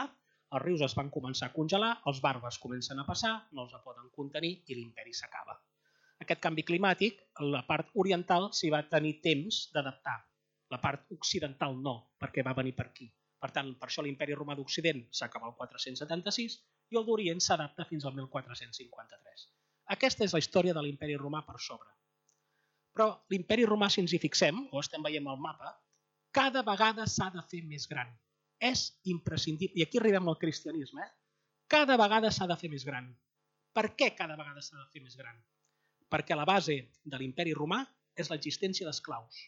els rius es van començar a congelar, els barbes comencen a passar, no els poden contenir i l'imperi s'acaba. Aquest canvi climàtic, la part oriental s'hi va tenir temps d'adaptar. La part occidental no, perquè va venir per aquí. Per tant, per això l'imperi romà d'Occident s'acaba el quatre-cents setanta-sis i el d'Orient s'adapta fins al mil quatre-cents cinquanta-tres. Aquesta és la història de l'imperi romà per sobre. Però l'imperi romà, si ens hi fixem, o estem veient al mapa, cada vegada s'ha de fer més gran. És imprescindible. I aquí arribem al cristianisme. Eh? Cada vegada s'ha de fer més gran. Per què cada vegada s'ha de fer més gran? Perquè la base de l'imperi romà és l'existència d'esclaus.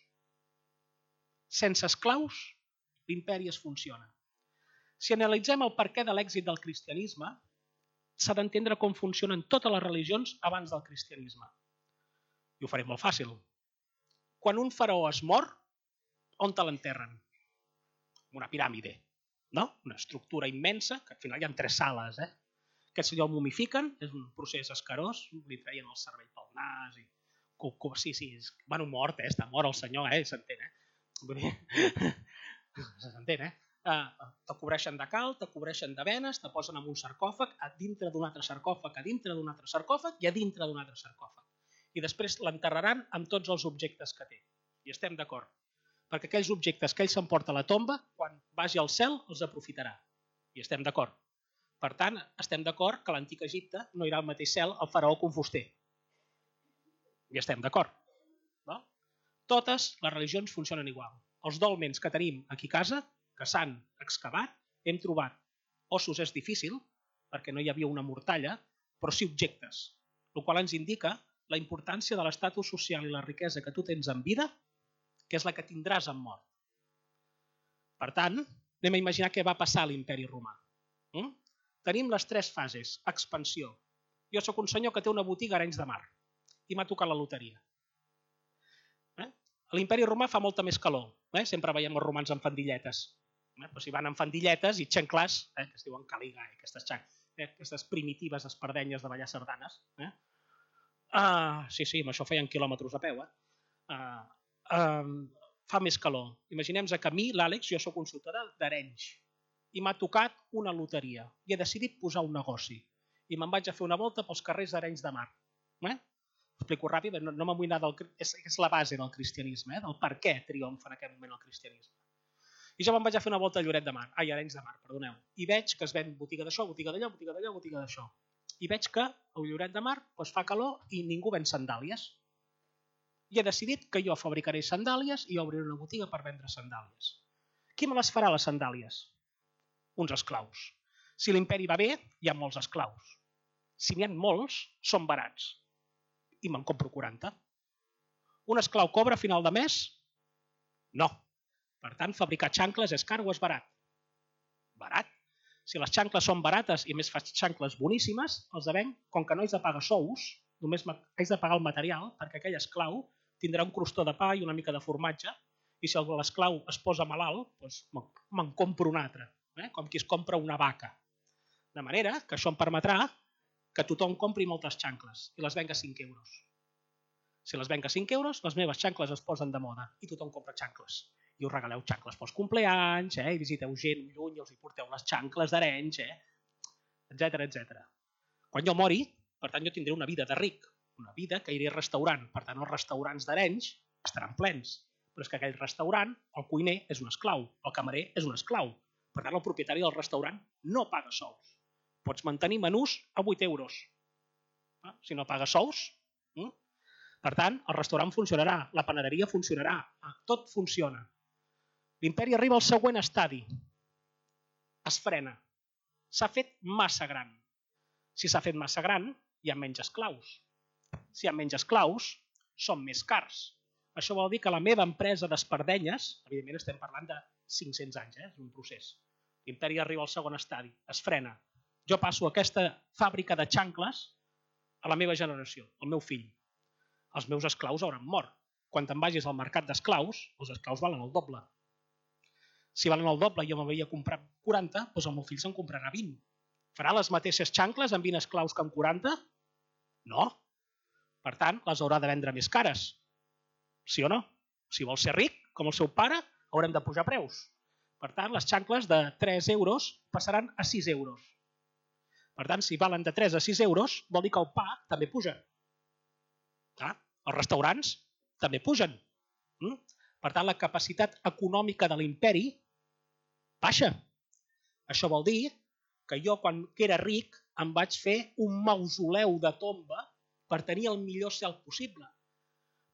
Sense esclaus, l'imperi es funciona. Si analitzem el perquè de l'èxit del cristianisme, s'ha d'entendre com funcionen totes les religions abans del cristianisme. I ho faré molt fàcil. Quan un faraó es mor, on te l'enterren? Una piràmide, no? Una estructura immensa, que al final hi ha tres sales. Eh? Aquest senyor el mumifiquen, és un procés escarós, li treien el cervell pel nas. I... Sí, sí, és... bueno, mort, eh? Està mort el senyor, eh? S'entén, eh? S'entén, eh? Te cobreixen de cal, te cobreixen de venes, te posen en un sarcòfag, a dintre d'un altre sarcòfag, a dintre d'un altre sarcòfag i a dintre d'un altre sarcòfag. I després l'enterraran amb tots els objectes que té. I estem d'acord. Perquè aquells objectes que ell s'emporta a la tomba, quan vagi al cel, els aprofitarà. I estem d'acord. Per tant, estem d'acord que a l'antic Egipte no irà al mateix cel el faraó que un fuster. I estem d'acord. No? Totes les religions funcionen igual. Els dolmens que tenim aquí a casa, que s'han excavat, hem trobat ossos, és difícil, perquè no hi havia una mortalla, però sí objectes, el qual ens indica la importància de l'estatus social i la riquesa que tu tens en vida, que és la que tindràs en mort. Per tant, anem a imaginar què va passar a l'imperi romà. Mm? Tenim les tres fases. Expansió. Jo sóc un senyor que té una botiga a Arenys de Mar i m'ha tocat la loteria. Eh? A l'imperi romà fa molta més calor. Eh? Sempre veiem els romans amb fandilletes. Eh? Però si van amb fandilletes i xanclars, eh? que es diuen caligai, aquestes, eh? aquestes primitives espardenyes de ballar sardanes. Eh? Uh, sí, sí, amb això feien quilòmetres a peu. Eh? Uh, uh, fa més calor. Imaginem-nos que a mi, l'Àlex, jo sóc consultor d'Arenys i m'ha tocat una loteria i he decidit posar un negoci i me'n vaig a fer una volta pels carrers d'Arenys de Mar. Eh? Explico ràpid, no, no me'n vull anar del... És, és la base del cristianisme, eh? Del per què triomfa en aquest moment el cristianisme. I jo me'n vaig a fer una volta a Lloret de Mar, ai, Arenys de Mar, perdoneu, i veig que es ven botiga d'això, botiga d'allò, botiga d'allò, botiga d'això. I veig que a Lloret de Mar doncs, fa calor i ningú ven sandàlies. I he decidit que jo fabricaré sandàlies i obriré una botiga per vendre sandàlies. Qui me les farà, les sandàlies? Uns esclaus. Si l'imperi va bé, hi ha molts esclaus. Si n'hi ha molts, són barats. I me'n compro quaranta. Un esclau cobra a final de mes? No. Per tant, fabricar xancles és car o és barat? Barat. Si les xancles són barates i més fas xancles boníssimes, els venc, com que no haig de pagar sous, només haig de pagar el material, perquè aquell esclau tindrà un crostó de pa i una mica de formatge, i si l'esclau es posa malalt, doncs me'n compro un altre, eh? Com qui es compra una vaca. De manera que això em permetrà que tothom compri moltes xancles i les venga a cinc euros. Si les venga a cinc euros, les meves xancles es posen de moda i tothom compra xancles. I us regaleu xancles pels compleanys, eh? I visiteu gent lluny i els hi porteu les xancles d'Arenys, eh? etcètera, etcètera. Quan jo mori, per tant, jo tindré una vida de ric, una vida que iré a restaurant. Per tant, els restaurants d'Arenys estaran plens. Però és que aquell restaurant, el cuiner és un esclau, el camarer és un esclau. Per tant, el propietari del restaurant no paga sous. Pots mantenir menús a vuit euros. Si no paga sous. Per tant, el restaurant funcionarà, la panaderia funcionarà, tot funciona. L'imperi arriba al següent estadi. Es frena. S'ha fet massa gran. Si s'ha fet massa gran, hi ha menys esclaus. Si hi ha menys esclaus, són més cars. Això vol dir que la meva empresa d'espardenyes, evidentment estem parlant de cinc-cents anys, eh? És un procés. L'imperi arriba al segon estadi, es frena. Jo passo aquesta fàbrica de xancles a la meva generació, al meu fill. Els meus esclaus hauran mort. Quan te'n vagis al mercat d'esclaus, els esclaus valen el doble. Si valen el doble i jo m'havia comprat quaranta, doncs el meu fill se'n comprarà vint. Farà les mateixes xancles amb vint esclaus que amb quaranta? No. Per tant, les haurà de vendre més cares. Sí o no? Si vols ser ric, com el seu pare, haurem de pujar preus. Per tant, les xancles de tres euros passaran a sis euros. Per tant, si valen de tres a sis euros, vol dir que el pa també puja. Clar, els restaurants també pugen. Per tant, la capacitat econòmica de l'imperi baixa. Això vol dir que jo, quan era ric, em vaig fer un mausoleu de tomba per tenir el millor cel possible.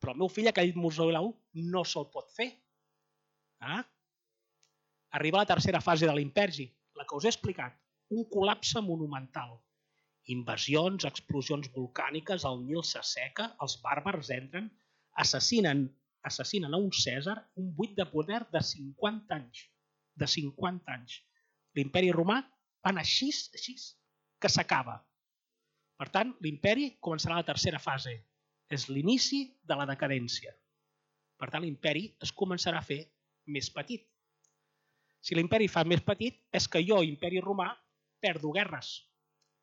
Però el meu fill aquell mausoleu no se'l pot fer. Ah? Arriba la tercera fase de l'imperi, la que us he explicat, un col·lapse monumental. Invasions, explosions volcàniques, el Nil s'asseca, els bàrbars entren, assassinen, assassinen a un Cèsar, un buit de poder de cinquanta anys. De cinquanta anys. L'imperi romà va anar així, així, que s'acaba. Per tant, l'imperi començarà la tercera fase. És l'inici de la decadència. Per tant, l'imperi es començarà a fer més petit. Si l'imperi fa més petit, és que jo, imperi romà, perdo guerres.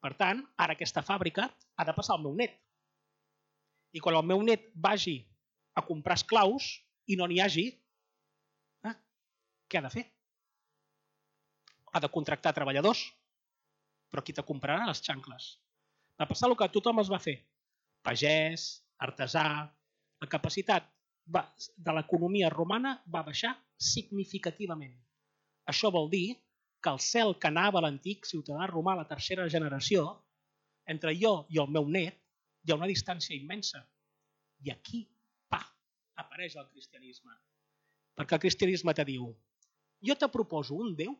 Per tant, ara aquesta fàbrica ha de passar al meu net. I quan el meu net vagi a comprar esclaus i no n'hi hagi, eh, què ha de fer? Ha de contractar treballadors, però qui te comprarà les xancles? Va passar el que tothom es va fer. Pagès, artesà, la capacitat de l'economia romana va baixar significativament. Això vol dir que el cel que anava a l'antic ciutadà romà, la tercera generació, entre jo i el meu net, hi ha una distància immensa. I aquí, pa, apareix el cristianisme. Perquè el cristianisme te diu, jo te proposo un Déu,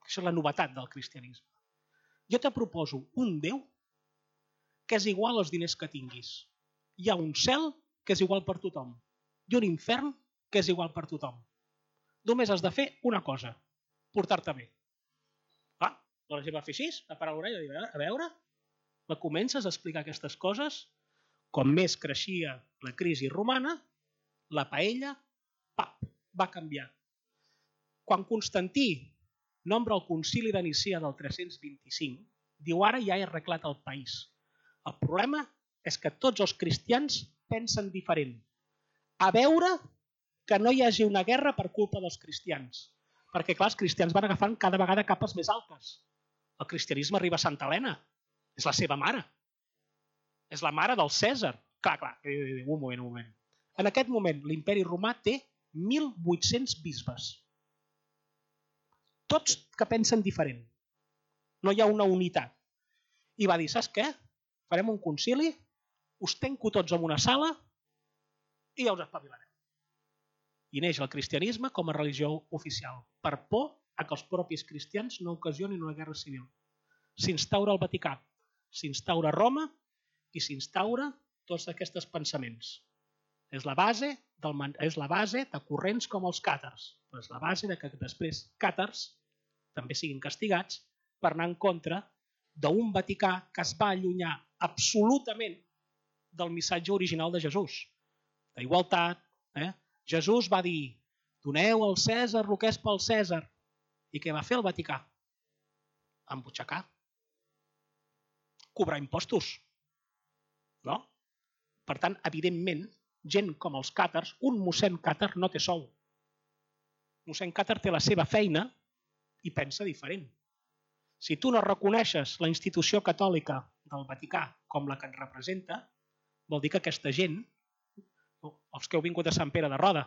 això és la novetat del cristianisme, jo te proposo un Déu que és igual als diners que tinguis. Hi ha un cel que és igual per tothom i un infern que és igual per tothom. Només has de fer una cosa, portar-te bé. Ah, la gent va fer així, va parar l'orella i dir, a veure, la comences a explicar aquestes coses, com més creixia la crisi romana, la paella, pap, va canviar. Quan Constantí nombra el concili de Nicea del tres-cents vint-i-cinc, diu ara ja he arreglat el país. El problema és que tots els cristians pensen diferent. A veure que no hi hagi una guerra per culpa dels cristians. Perquè, clar, els cristians van agafant cada vegada capes més altes. El cristianisme arriba a Santa Helena. És la seva mare. És la mare del Cèsar. Clar, clar, un moment, un moment. En aquest moment, l'imperi romà té mil vuit-cents bisbes. Tots que pensen diferent. No hi ha una unitat. I va dir, saps què? Farem un concili, us tanco tots en una sala i ja us espavilarem. I neix el cristianisme com a religió oficial, per por a que els propis cristians no ocasionin una guerra civil. S'instaura el Vaticà, s'instaura Roma i s'instaura tots aquests pensaments. És la base, del, és la base de corrents com els càtars, però és la base de que després càtars també siguin castigats per anar en contra d'un Vaticà que es va allunyar absolutament del missatge original de Jesús, d'igualtat. Eh? Jesús va dir, doneu al Cèsar el que és pel Cèsar. I què va fer el Vaticà? Embutxacar. Cobrar impostos. No? Per tant, evidentment, gent com els càtars, un mossèn càtar no té sou. Mossèn càtar té la seva feina i pensa diferent. Si tu no reconeixes la institució catòlica del Vaticà com la que et representa, vol dir que aquesta gent, els que heu vingut a Sant Pere de Roda,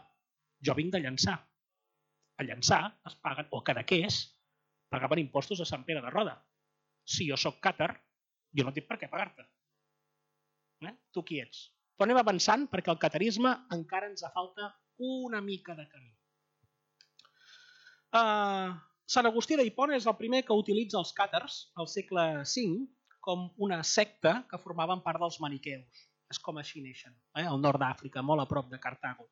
jo vinc de Llançà. A Llançà es paguen, o Cadaqués, pagaven impostos a Sant Pere de Roda. Si jo sóc càtar, jo no tinc per què pagar-te. Eh? Tu qui ets? Però anem avançant perquè el catarisme encara ens falta una mica de camí. Uh, Sant Agustí d'Hipona és el primer que utilitza els càtars al segle cinc com una secta que formaven part dels maniqueus. És com així neixen, eh? al nord d'Àfrica, molt a prop de Cartago.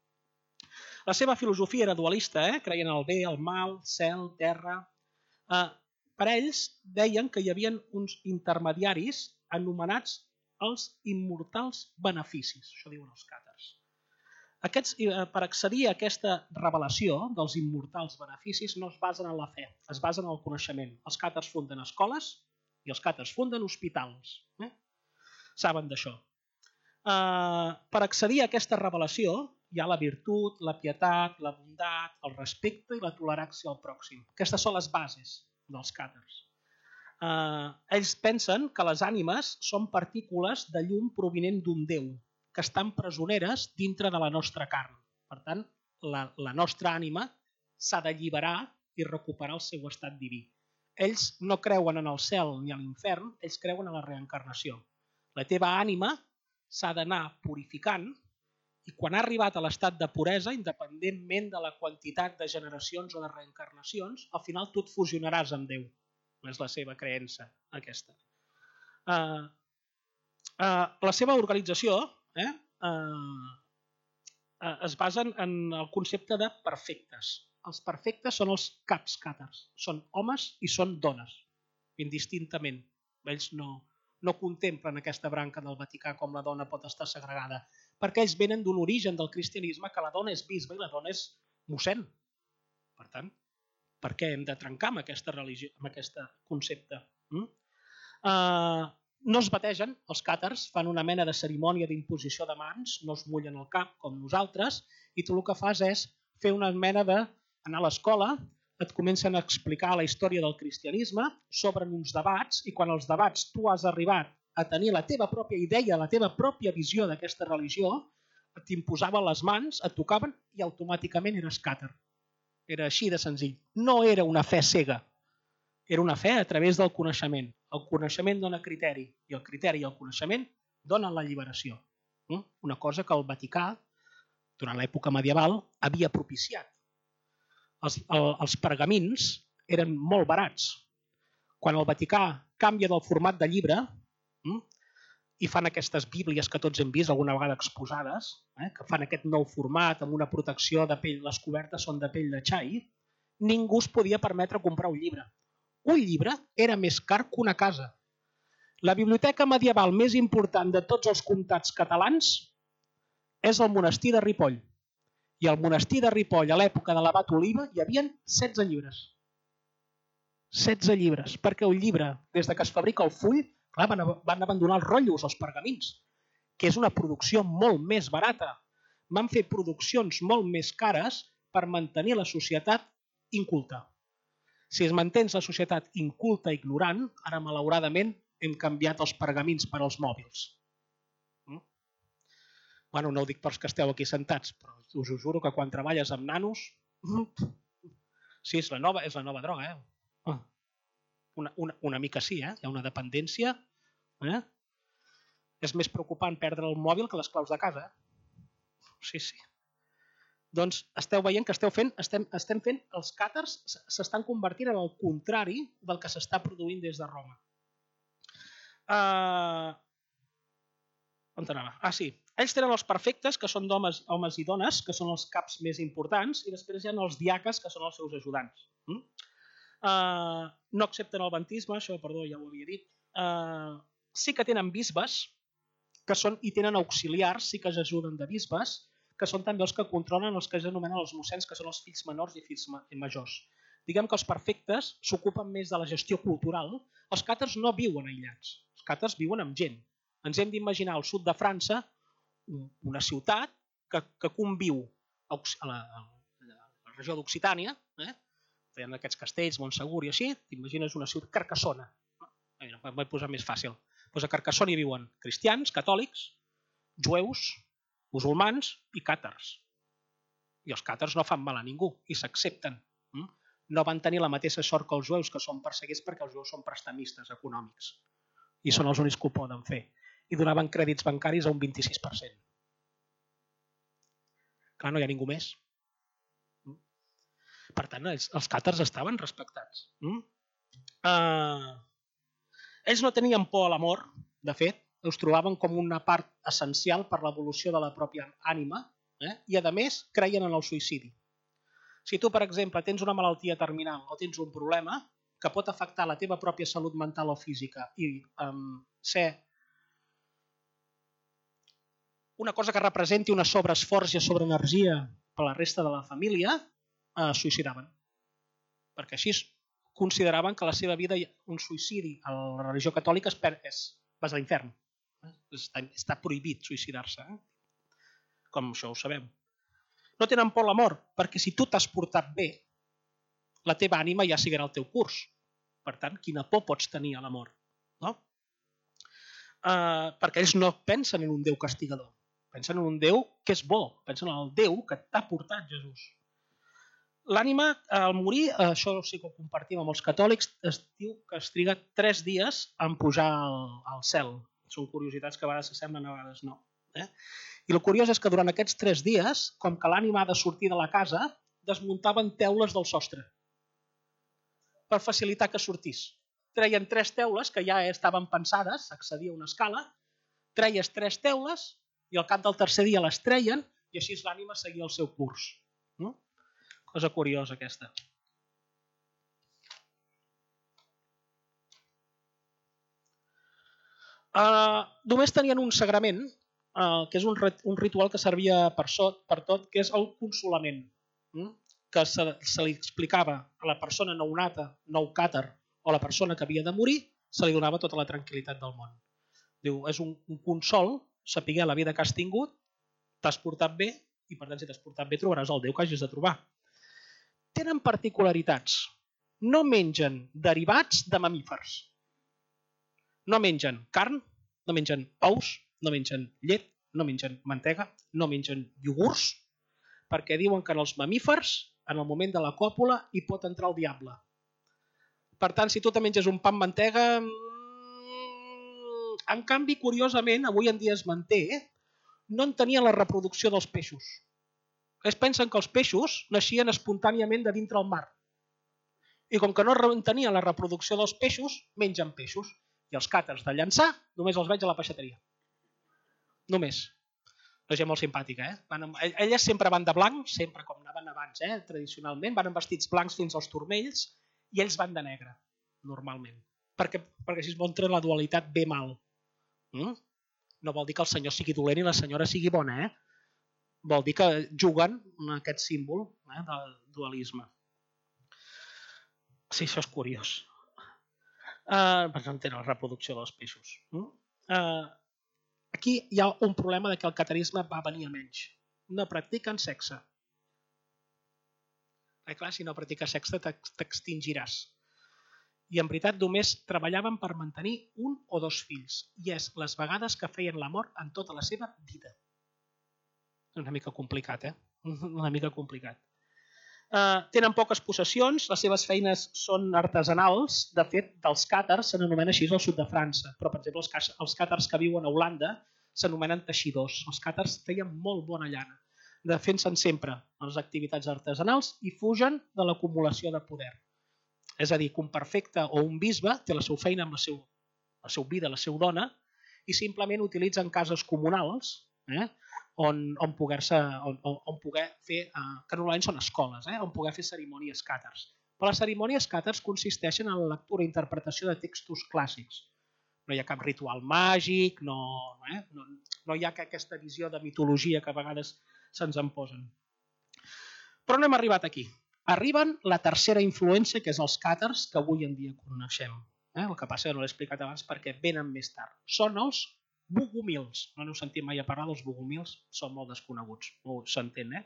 La seva filosofia era dualista, eh? creien en el bé, el mal, cel, terra. Eh, per ells deien que hi havia uns intermediaris anomenats els immortals beneficis, això diuen els càtars. Aquests, per accedir a aquesta revelació dels immortals beneficis no es basen en la fe, es basen en el coneixement. Els càtars funden escoles i els càtars funden hospitals. Eh? Saben d'això. Uh, per accedir a aquesta revelació hi ha la virtut, la pietat, la bondat, el respecte i la tolerància al pròxim. Aquestes són les bases dels càtars. Uh, ells pensen que les ànimes són partícules de llum provinent d'un Déu, que estan presoneres dintre de la nostra carn. Per tant, la, la nostra ànima s'ha d'alliberar i recuperar el seu estat diví. Ells no creuen en el cel ni a l'infern, ells creuen en la reencarnació. La teva ànima s'ha d'anar purificant i quan ha arribat a l'estat de puresa, independentment de la quantitat de generacions o de reencarnacions, al final tu et fusionaràs amb Déu. És la seva creença, aquesta. Uh, uh, la seva organització Eh? Uh, uh, es basen en el concepte de perfectes. Els perfectes són els caps càtars. Són homes i són dones, indistintament. Ells no, no contemplen aquesta branca del Vaticà com la dona pot estar segregada, perquè ells venen d'un origen del cristianisme que la dona és bisbe i la dona és mossèn. Per tant, per què hem de trencar amb aquesta religió, amb aquest concepte? Mm? Uh, No es bategen, els càtars fan una mena de cerimònia d'imposició de mans, no es mullen el cap com nosaltres, i tu el que fas és fer una mena d'anar a l'escola, et comencen a explicar la història del cristianisme, s'obren uns debats, i quan els debats tu has arribat a tenir la teva pròpia idea, la teva pròpia visió d'aquesta religió, t'imposaven les mans, et tocaven i automàticament eres càtar. Era així de senzill. No era una fe cega. Era una fe a través del coneixement. El coneixement dona criteri i el criteri i el coneixement donen la lliberació. Una cosa que el Vaticà, durant l'època medieval, havia propiciat. Els, el, els pergamins eren molt barats. Quan el Vaticà canvia del format de llibre i fan aquestes bíblies que tots hem vist alguna vegada exposades, eh, que fan aquest nou format amb una protecció de pell, les cobertes són de pell de xai, ningú es podia permetre comprar un llibre. Un llibre era més car que una casa. La biblioteca medieval més important de tots els comtats catalans és el monestir de Ripoll. I al monestir de Ripoll, a l'època de l'abat Oliva, hi havia setze llibres. setze llibres, perquè un llibre, des que es fabrica el full, clar, van, van abandonar els rotllos, els pergamins, que és una producció molt més barata. Van fer produccions molt més cares per mantenir la societat inculta. Si es mantens la societat inculta i ignorant, ara malauradament hem canviat els pergamins per als mòbils. Mm? Bueno, no ho dic pels que esteu aquí sentats, però us ho juro que quan treballes amb nanos... Sí, és la nova, és la nova droga, eh? Una, una, una mica sí, eh? Hi ha una dependència. Eh? És més preocupant perdre el mòbil que les claus de casa. Eh? Sí, sí. Doncs esteu veient que esteu fent, estem, estem fent, els càtars s'estan convertint en el contrari del que s'està produint des de Roma. Uh, on anava? Ah, sí. Ells tenen els perfectes, que són homes, homes i dones, que són els caps més importants, i després hi ha els diaques, que són els seus ajudants. Mm? Uh, no accepten el bantisme, això, perdó, ja ho havia dit. Uh, sí que tenen bisbes, que són, i tenen auxiliars, sí que s'ajuden de bisbes, que són també els que controlen els que s'anomenen els mossens, que són els fills menors i fills majors. Diguem que els perfectes s'ocupen més de la gestió cultural. Els càtars no viuen aïllats, els càtars viuen amb gent. Ens hem d'imaginar al sud de França una ciutat que, que conviu a la, a la regió d'Occitània, eh? Feien aquests castells, Montsegur i així, t'imagines una ciutat, Carcassona. M'ho he posat més fàcil. Pues a Carcassona hi viuen cristians, catòlics, jueus, musulmans i càtars. I els càtars no fan mal a ningú i s'accepten. No van tenir la mateixa sort que els jueus, que són perseguits perquè els jueus són prestamistes econòmics i són els únics que ho poden fer. I donaven crèdits bancaris a un vint-i-sis per cent. Clar, no hi ha ningú més. Per tant, els, els càtars estaven respectats. Uh, Ells no tenien por a la mort, de fet, us trobaven com una part essencial per l'evolució de la pròpia ànima, eh? I a més creien en el suïcidi. Si tu, per exemple, tens una malaltia terminal o tens un problema que pot afectar la teva pròpia salut mental o física i um, ser una cosa que representi una sobreesforç i sobreenergia per a la resta de la família, eh, suïcidaven. Perquè així consideraven que la seva vida, un suïcidi a la religió catòlica és, és vas a l'infern. Està, està prohibit suïcidar-se. Eh? Com això ho sabem. No tenen por a la mort, perquè si tu t'has portat bé, la teva ànima ja seguirà el teu curs. Per tant, quina por pots tenir a la mort? No? Uh, perquè ells no pensen en un Déu castigador. Pensen en un Déu que és bo. Pensen en el Déu que t'ha portat Jesús. L'ànima, al morir, això sí que ho compartim amb els catòlics, es diu que es triga tres dies en pujar al, al cel. Són curiositats que a vegades s'assemblen, a vegades no. Eh? I el curiós és que durant aquests tres dies, com que l'ànima ha de sortir de la casa, desmuntaven teules del sostre per facilitar que sortís. Treien tres teules que ja estaven pensades, s'accedia a una escala, treies tres teules i al cap del tercer dia les treien i així l'ànima seguia el seu curs. No? Cosa curiosa aquesta. Uh, només tenien un sagrament, uh, que és un, un ritual que servia per, sot, per tot, que és el consolament, mm? que se, se li explicava a la persona nounata, nou càtar, o la persona que havia de morir, se li donava tota la tranquil·litat del món. Diu, és un, un consol, saber la vida que has tingut, t'has portat bé, i per tant, si t'has portat bé, trobaràs el Déu que hagis de trobar. Tenen particularitats. No mengen derivats de mamífers. No mengen carn, no mengen ous, no mengen llet, no mengen mantega, no mengen iogurts, perquè diuen que en els mamífers, en el moment de la còpula, hi pot entrar el diable. Per tant, si tu te menges un pa amb mantega... En canvi, curiosament, avui en dia es manté, no en tenien la reproducció dels peixos. Es pensen que els peixos naixien espontàniament de dintre el mar. I com que no tenien la reproducció dels peixos, mengen peixos. I els càters de Llançà només els veig a la peixateria. Només. La gent molt simpàtica, eh? Van amb... Elles sempre van de blanc, sempre com anaven abans, eh? Tradicionalment, van amb vestits blancs fins als turmells i ells van de negre, normalment. Perquè, perquè així es mostra la dualitat bé-mal. Mm? No vol dir que el senyor sigui dolent i la senyora sigui bona, eh? Vol dir que juguen amb aquest símbol, eh, del dualisme. Sí, això és curiós. Uh, perquè no tenen la reproducció dels peixos. Uh, aquí hi ha un problema de que el catarisme va venir a menys. No practiquen sexe. Eh, clar, si no practiques sexe t'extingiràs. I en veritat només treballaven per mantenir un o dos fills. I és les vegades que feien l'amor en tota la seva vida. Una mica complicat, eh? Una mica complicat. Uh, tenen poques possessions, les seves feines són artesanals. De fet, dels càtars se n'anomena així al sud de França, però per exemple els, els càtars que viuen a Holanda s'anomenen teixidors. Els càtars feien molt bona llana, defensen sempre les activitats artesanals i fugen de l'acumulació de poder. És a dir, que un perfecte o un bisbe té la seva feina amb la seva, la seva vida, la seva dona, i simplement utilitzen cases comunals, eh? on, on, poder-se, on, on poder fer, eh, que normalment són escoles, eh, on poder fer cerimònies càtars. Però les cerimònies càtars consisteixen en la lectura i interpretació de textos clàssics. No hi ha cap ritual màgic, no, eh, no, no hi ha aquesta visió de mitologia que a vegades se'ns en posen. Però no hem arribat aquí. Arriben la tercera influència, que és els càtars, que avui en dia coneixem. Eh? El que passa que no l'he explicat abans perquè venen més tard. Són els bogomils. No n'heu sentit mai a parlar dels bogomils? Són molt desconeguts, no s'entén, eh?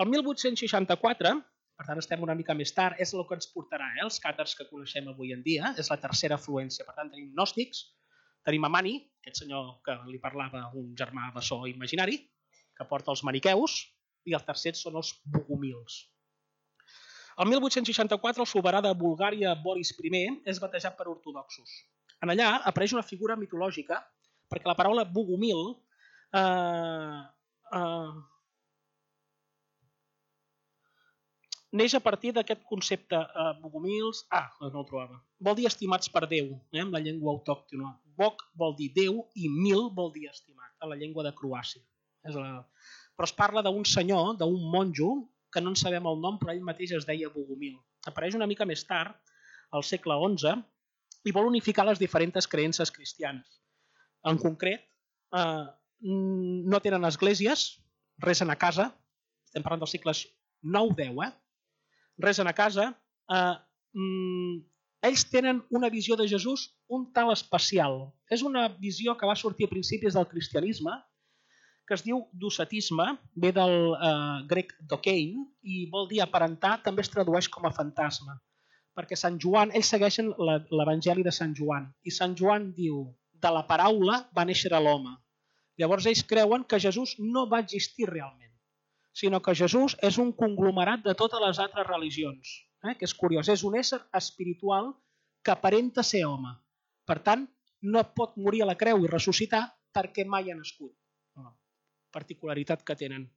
El mil vuit-cents seixanta-quatre, per tant estem una mica més tard, és el que ens portarà, eh? Els càtars que coneixem avui en dia, és la tercera afluència. Per tant, tenim gnòstics, tenim a Mani, aquest senyor que li parlava un germà bessó imaginari, que porta els maniqueus, i els tercers són els bogomils. El mil vuit-cents seixanta-quatre, el soberà de Bulgària, Boris primer, és batejat per ortodoxos. En allà apareix una figura mitològica, perquè la paraula bogomil eh, eh, neix a partir d'aquest concepte eh, bogomils... Ah, no ho trobava. Vol dir estimats per Déu, eh, amb la llengua autòctona. Bog vol dir Déu i mil vol dir estimat, a la llengua de Croàcia. És la... Però es parla d'un senyor, d'un monjo, que no en sabem el nom, però ell mateix es deia Bogomil. Apareix una mica més tard, al segle onze, i vol unificar les diferents creences cristianes. En concret, eh, no tenen esglésies, resen a casa, estem parlant dels segles nou deu, eh? Resen a casa, eh, mm, ells tenen una visió de Jesús un tal especial. És una visió que va sortir a principis del cristianisme, que es diu docetisme, ve del eh, grec dokein, i vol dir aparentar, també es tradueix com a fantasma. Perquè Sant Joan, ells segueixen l'Evangeli de Sant Joan, i Sant Joan diu, de la paraula va néixer l'home. Llavors ells creuen que Jesús no va existir realment, sinó que Jesús és un conglomerat de totes les altres religions, eh? Que és curiós, és un ésser espiritual que aparenta ser home. Per tant, no pot morir a la creu i ressuscitar perquè mai ha nascut. La particularitat que tenen.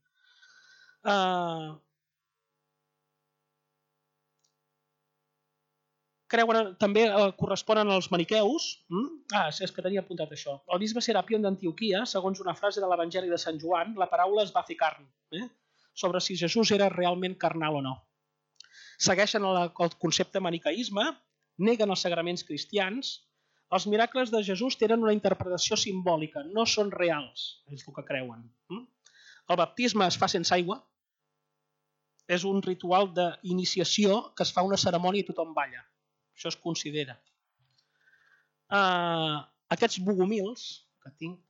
Uh... Creuen, també uh, corresponen als maniqueus. Mm? Ah, és que tenia apuntat això. El bisbe Serapion d'Antioquia, segons una frase de l'Evangeli de Sant Joan, la paraula es va fer carn. Eh? Sobre si Jesús era realment carnal o no. Segueixen el, el concepte maniqueisme, neguen els sagraments cristians, els miracles de Jesús tenen una interpretació simbòlica, no són reals, és el que creuen. El baptisme es fa sense aigua, és un ritual d'iniciació que es fa una cerimònia i tothom balla. Això es considera. Uh, aquests bogomils, que tinc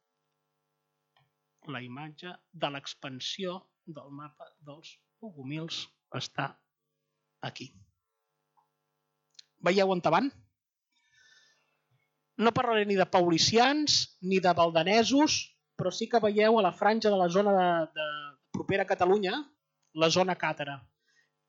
la imatge de l'expansió del mapa dels bogomils, està aquí. Veieu on van? No parlaré ni de paulicians ni de valdanesos, però sí que veieu a la franja de la zona de, de propera a Catalunya, la zona càtara.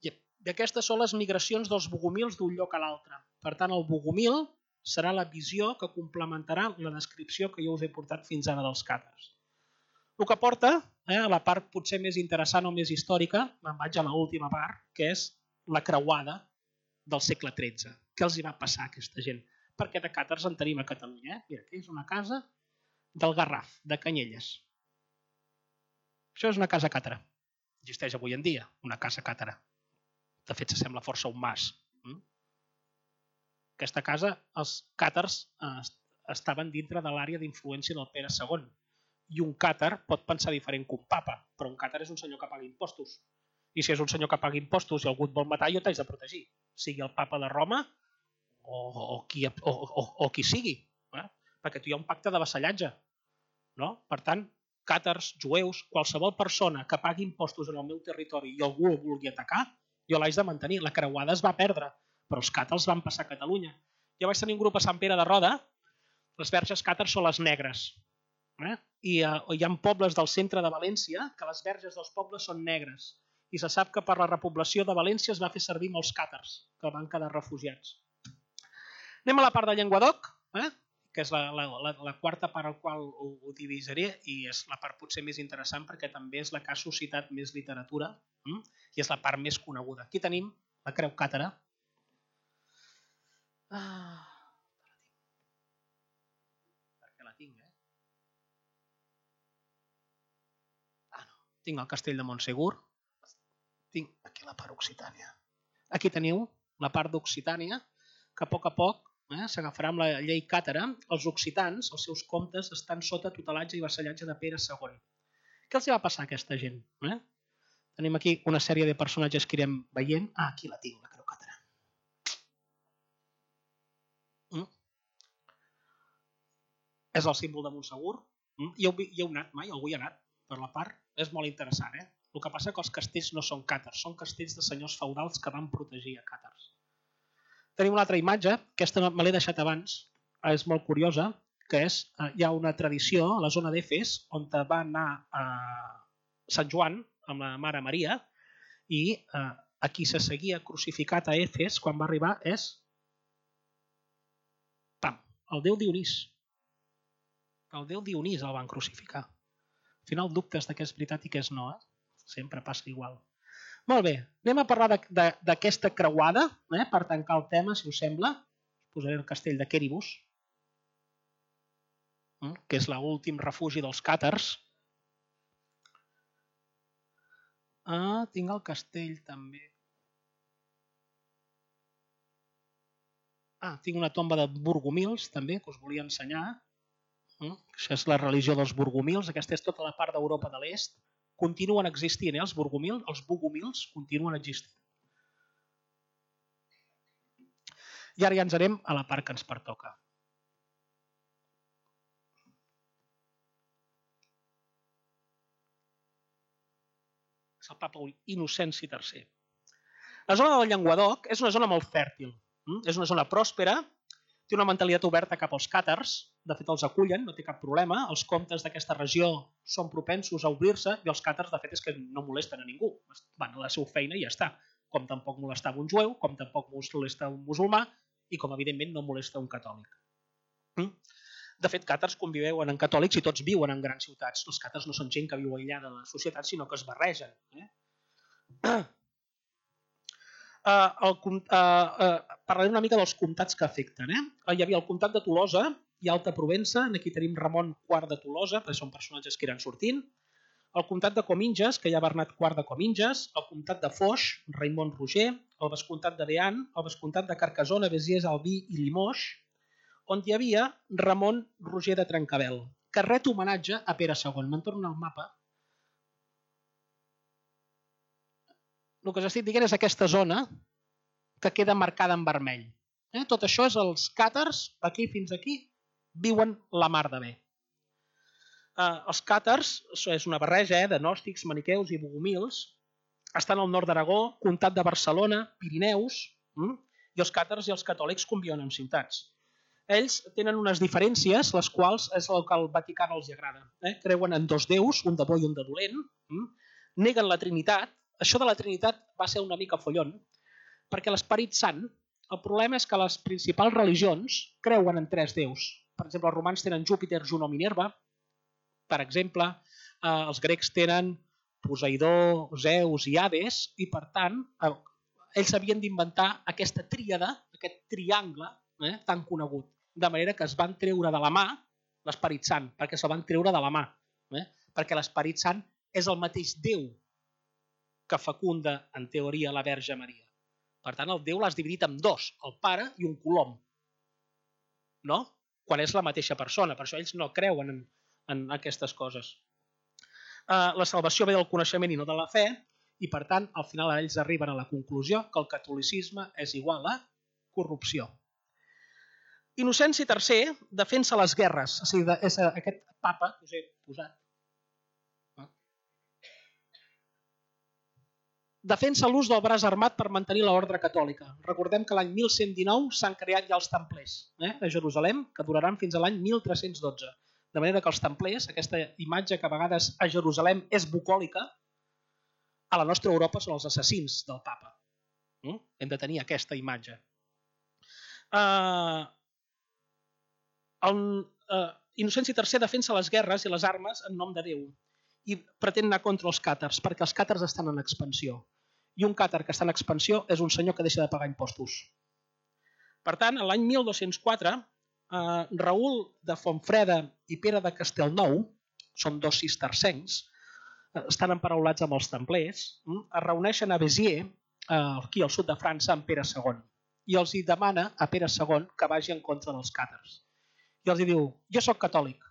I aquestes són les migracions dels bogomils d'un lloc a l'altre. Per tant, el bogomil serà la visió que complementarà la descripció que jo us he portat fins ara dels càtars. El que porta, eh, a la part potser més interessant o més històrica, me'n vaig a l'última part, que és la creuada del segle tretze. Què els hi va passar a aquesta gent? Perquè de càtars en tenim a Catalunya. Eh? Mira, aquí és una casa del Garraf, de Canyelles. Això és una casa càtara. Existeix avui en dia, una casa càtara. De fet, s'assembla força a un mas. Aquesta casa, els càtars eh, estaven dintre de l'àrea d'influència del Pere segon. I un càtar pot pensar diferent que un papa, però un càtar és un senyor que paga impostos. I si és un senyor que paga impostos i algú et vol matar, jo t'haig de protegir. Sigui el papa de Roma o, o, qui, o, o, o qui sigui. Eh? Perquè tu hi ha un pacte de vassallatge. No? Per tant, càtars, jueus, qualsevol persona que pagui impostos en el meu territori i algú el vulgui atacar, jo l'haig de mantenir. La creuada es va perdre, però els càtars van passar a Catalunya. Jo vaig tenir un grup a Sant Pere de Roda, les verges càtars són les negres. Eh? I uh, hi ha pobles del centre de València que les verges dels pobles són negres. I se sap que per la repoblació de València es va fer servir molts càtars, que van quedar refugiats. Anem a la part de Llenguadoc, eh? que és la, la, la, la quarta part al qual ho, ho divisaré, i és la part potser més interessant perquè també és la que ha suscitat més literatura hm? i és la part més coneguda. Aquí tenim la creu càtara. Ah, perquè la tinc, eh? Ah, no. Tinc el castell de Montsegur. Tinc aquí la part Occitània. Aquí teniu la part d'Occitània, que a poc a poc eh, s'agafarà amb la llei càtara. Els occitans, els seus comtes, estan sota tutelatge i vassallatge de Pere segon. Què els va passar a aquesta gent? Eh? Tenim aquí una sèrie de personatges que irem veient. Ah, aquí la tinc, la creu càtara. Mm? És el símbol de Montsegur. Mm? Hi, heu, hi heu anat mai? Algú hi ha anat per la part? És molt interessant, eh? El que passa és que els castells no són càtars, són castells de senyors feudals que van protegir a càtars. Tenim una altra imatge, aquesta me l'he deixat abans, és molt curiosa, que és, hi ha una tradició a la zona d'Efes on va anar a Sant Joan amb la Mare Maria i eh, a qui se seguia crucificat a Efes quan va arribar és pam, el déu Dionís. El déu Dionís el van crucificar. Al final dubtes de què és veritat i què és no, eh? Sempre passa igual. Molt bé, anem a parlar d'aquesta creuada, eh, per tancar el tema, si us sembla. Posaré el castell de Quéribus, que és l'últim refugi dels càtars. Ah, tinc el castell també. Ah, tinc una tomba de Burgomils també, que us volia ensenyar. Això és la religió dels Burgomils. Aquesta és tota la part d'Europa de l'Est. Continuen existint, eh, els Burgomils, els Bogomils continuen existint. I ara ja ens anem a la part que ens pertoca. És el papa Innocenci tercer. La zona del Llenguadoc és una zona molt fèrtil. És una zona pròspera, té una mentalitat oberta cap als càtars, de fet els acullen, no té cap problema, els comtes d'aquesta regió són propensos a obrir-se i els càtars de fet és que no molesten a ningú, van a la seva feina i ja està, com tampoc molestava un jueu, com tampoc molesta un musulmà i com evidentment no molesta un catòlic. De fet, càtars conviuen amb catòlics i tots viuen en grans ciutats. Els càtars no són gent que viu aïllada de la societat, sinó que es barregen. Uh, el, uh, uh, parlaré una mica dels comtats que afecten. Eh? Hi havia el comtat de Tolosa i Alta Provença, aquí tenim Ramon quart de Tolosa, perquè són personatges que iran sortint. El comtat de Cominges, que hi ha Bernat quart de Cominges, el comtat de Foix, Raimon Roger, el vescomtat de Beant, el vescomtat de Carcassona, Besiers, Albí i Limoix, on hi havia Ramon Roger de Trencabel, que ret homenatge a Pere segon. Me'n torno al mapa. El que us estic dient és aquesta zona que queda marcada en vermell. Eh? Tot això és els càtars, aquí fins aquí, viuen la mar de bé. Eh, els càtars, és una barreja eh, de gnòstics, maniqueus i bogomils, estan al nord d'Aragó, comtat de Barcelona, Pirineus, hm? i els càtars i els catòlics conviuen en ciutats. Ells tenen unes diferències, les quals és el que al Vaticà no els agrada. Eh? Creuen en dos déus, un de bo i un de dolent, hm? neguen la Trinitat. Això de la Trinitat va ser una mica follon, perquè l'Esperit Sant, el problema és que les principals religions creuen en tres déus. Per exemple, els romans tenen Júpiter, Juno, Minerva. Per exemple, eh, els grecs tenen Poseidó, Zeus i Hades, i per tant, eh, ells havien d'inventar aquesta tríada, aquest triangle eh, tan conegut. De manera que es van treure de la mà l'Esperit Sant, perquè se'l van treure de la mà. Eh, perquè l'Esperit Sant és el mateix Déu que fecunda, en teoria, la Verge Maria. Per tant, el Déu l'has dividit en dos, el pare i un colom. No? Quan és la mateixa persona. Per això ells no creuen en, en aquestes coses. Uh, la salvació ve del coneixement i no de la fe, i per tant, al final ells arriben a la conclusió que el catolicisme és igual a corrupció. Innocenci tercer defensa les guerres. O sigui, és aquest papa que us he posat. Defensa l'ús del braç armat per mantenir l'ordre catòlica. Recordem que l'any mil cent dinou s'han creat ja els templers eh, a Jerusalem, que duraran fins a l'any mil tres-cents dotze. De manera que els templers, aquesta imatge que a vegades a Jerusalem és bucòlica, a la nostra Europa són els assassins del papa. Mm? Hem de tenir aquesta imatge. Uh, el, uh, Innocenci tercer defensa les guerres i les armes en nom de Déu i pretén anar contra els càtars, perquè els càtars estan en expansió. I un càtar que està en expansió és un senyor que deixa de pagar impostos. Per tant, l'any mil dos-cents quatre, eh, Raül de Fontfreda i Pere de Castelnou, són dos cistercencs, eh, estan emparaulats amb els templers, eh, es reuneixen a Béziers, eh, aquí al sud de França, amb Pere segon, i els hi demana a Pere segon que vagi en contra dels càtars. I els hi diu, jo sóc catòlic,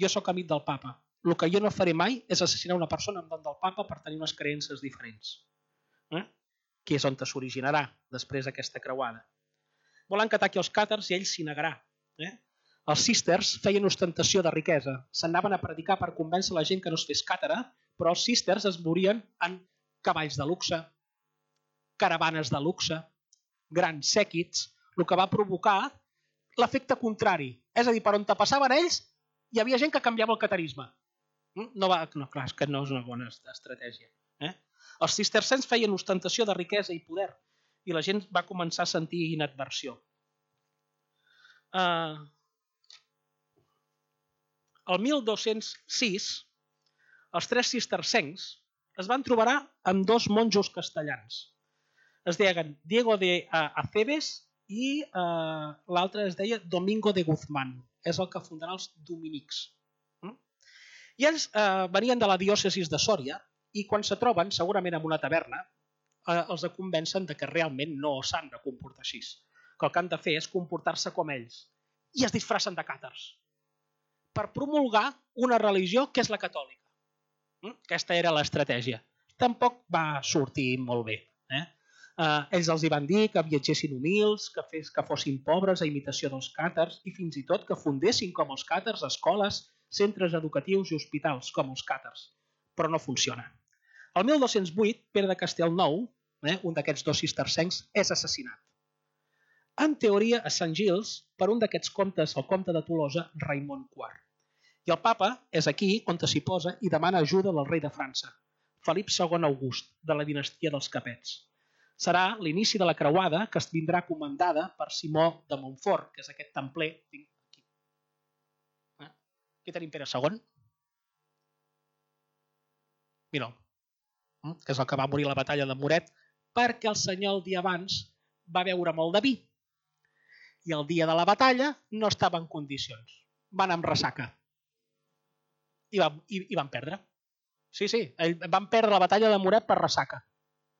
jo sóc amic del papa, el que jo no faré mai és assassinar una persona en nom del papa per tenir unes creences diferents. Eh? Que és on s'originarà després aquesta creuada. Volen que ataqui els càtars i ell s'hi negarà. Eh? Els císters feien ostentació de riquesa. S'anaven a predicar per convèncer la gent que no es fes càtara, però els císters es morien en cavalls de luxe, caravanes de luxe, grans sèquits, el que va provocar l'efecte contrari. És a dir, per on te passaven ells, hi havia gent que canviava el catarisme. No, va, no, clar, és que no és una bona estratègia. Eh? Els cistercencs feien ostentació de riquesa i poder i la gent va començar a sentir inadversió. Uh, el mil dos-cents sis, els tres cistercencs es van trobar amb dos monjos castellans. Es deien Diego de Acebes i eh, l'altre es deia Domingo de Guzmán. És el que fundarà els dominics. I ells eh, venien de la diòcesis de Sòria i quan se troben, segurament en una taverna, eh, els convencen de que realment no s'han de comportar així. Que el que han de fer és comportar-se com ells. I es disfracen de càtars per promulgar una religió que és la catòlica. Aquesta era l'estratègia. Tampoc va sortir molt bé. Eh? Eh, ells els hi van dir que viatgessin humils, que, fes, que fossin pobres a imitació dels càtars i fins i tot que fundessin com els càtars escoles, centres educatius i hospitals com els càtars. Però no funciona. El mil dos-cents vuit, Pere de Castellnou, eh, un d'aquests dos cistercencs, és assassinat. En teoria, a Sant Gils, per un d'aquests comtes, el comte de Tolosa, Raimon quart. I el papa és aquí on s'hi posa i demana ajuda del rei de França, Felip segon August, de la dinastia dels Capets. Serà l'inici de la creuada que es vindrà comandada per Simó de Montfort, que és aquest templer. Aquí, eh? Aquí tenim Pere segon. Mira'l, que és el que va morir a la batalla de Moret, perquè el senyor el dia abans va beure molt de vi. I el dia de la batalla no estava en condicions. Van amb ressaca. I van, i, i van perdre. Sí, sí, van perdre la batalla de Moret per ressaca.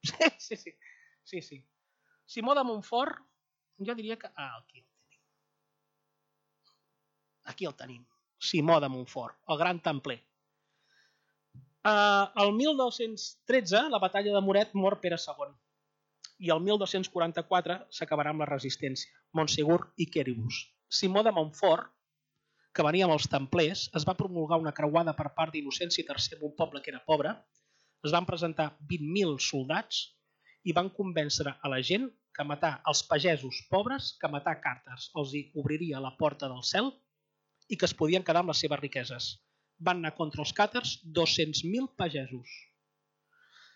Sí, sí, sí. sí, sí. Simó de Montfort, jo diria que... Ah, aquí el tenim. Aquí el tenim. Simó de Montfort, el gran templer. Uh, el mil dos-cents tretze, la batalla de Moret, mor Pere segon. I el mil dos-cents quaranta-quatre s'acabarà amb la resistència. Montsegur i Quéribus. Simó de Montfort, que venia amb els templers, es va promulgar una creuada per part d'Innocenci tercer en un poble que era pobre, es van presentar vint mil soldats i van convèncer a la gent que matar els pagesos pobres, que matar càtars els hi obriria la porta del cel i que es podien quedar amb les seves riqueses. Van anar contra els càtars dos-cents mil pagesos.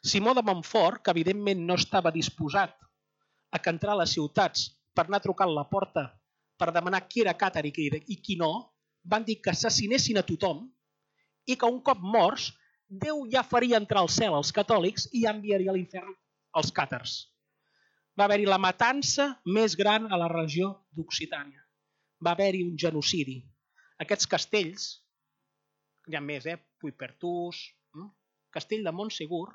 Simó de Montfort, que evidentment no estava disposat a que entrar a les ciutats per anar trucant a la porta per demanar qui era càtar i qui no, van dir que assassinessin a tothom i que un cop morts Déu ja faria entrar al cel als catòlics i ja enviaria a l'infern els càtars. Va haver-hi la matança més gran a la regió d'Occitània. Va haver-hi un genocidi. Aquests castells, hi ha més, eh? Puigpertús, hm? Castell de Montsegur,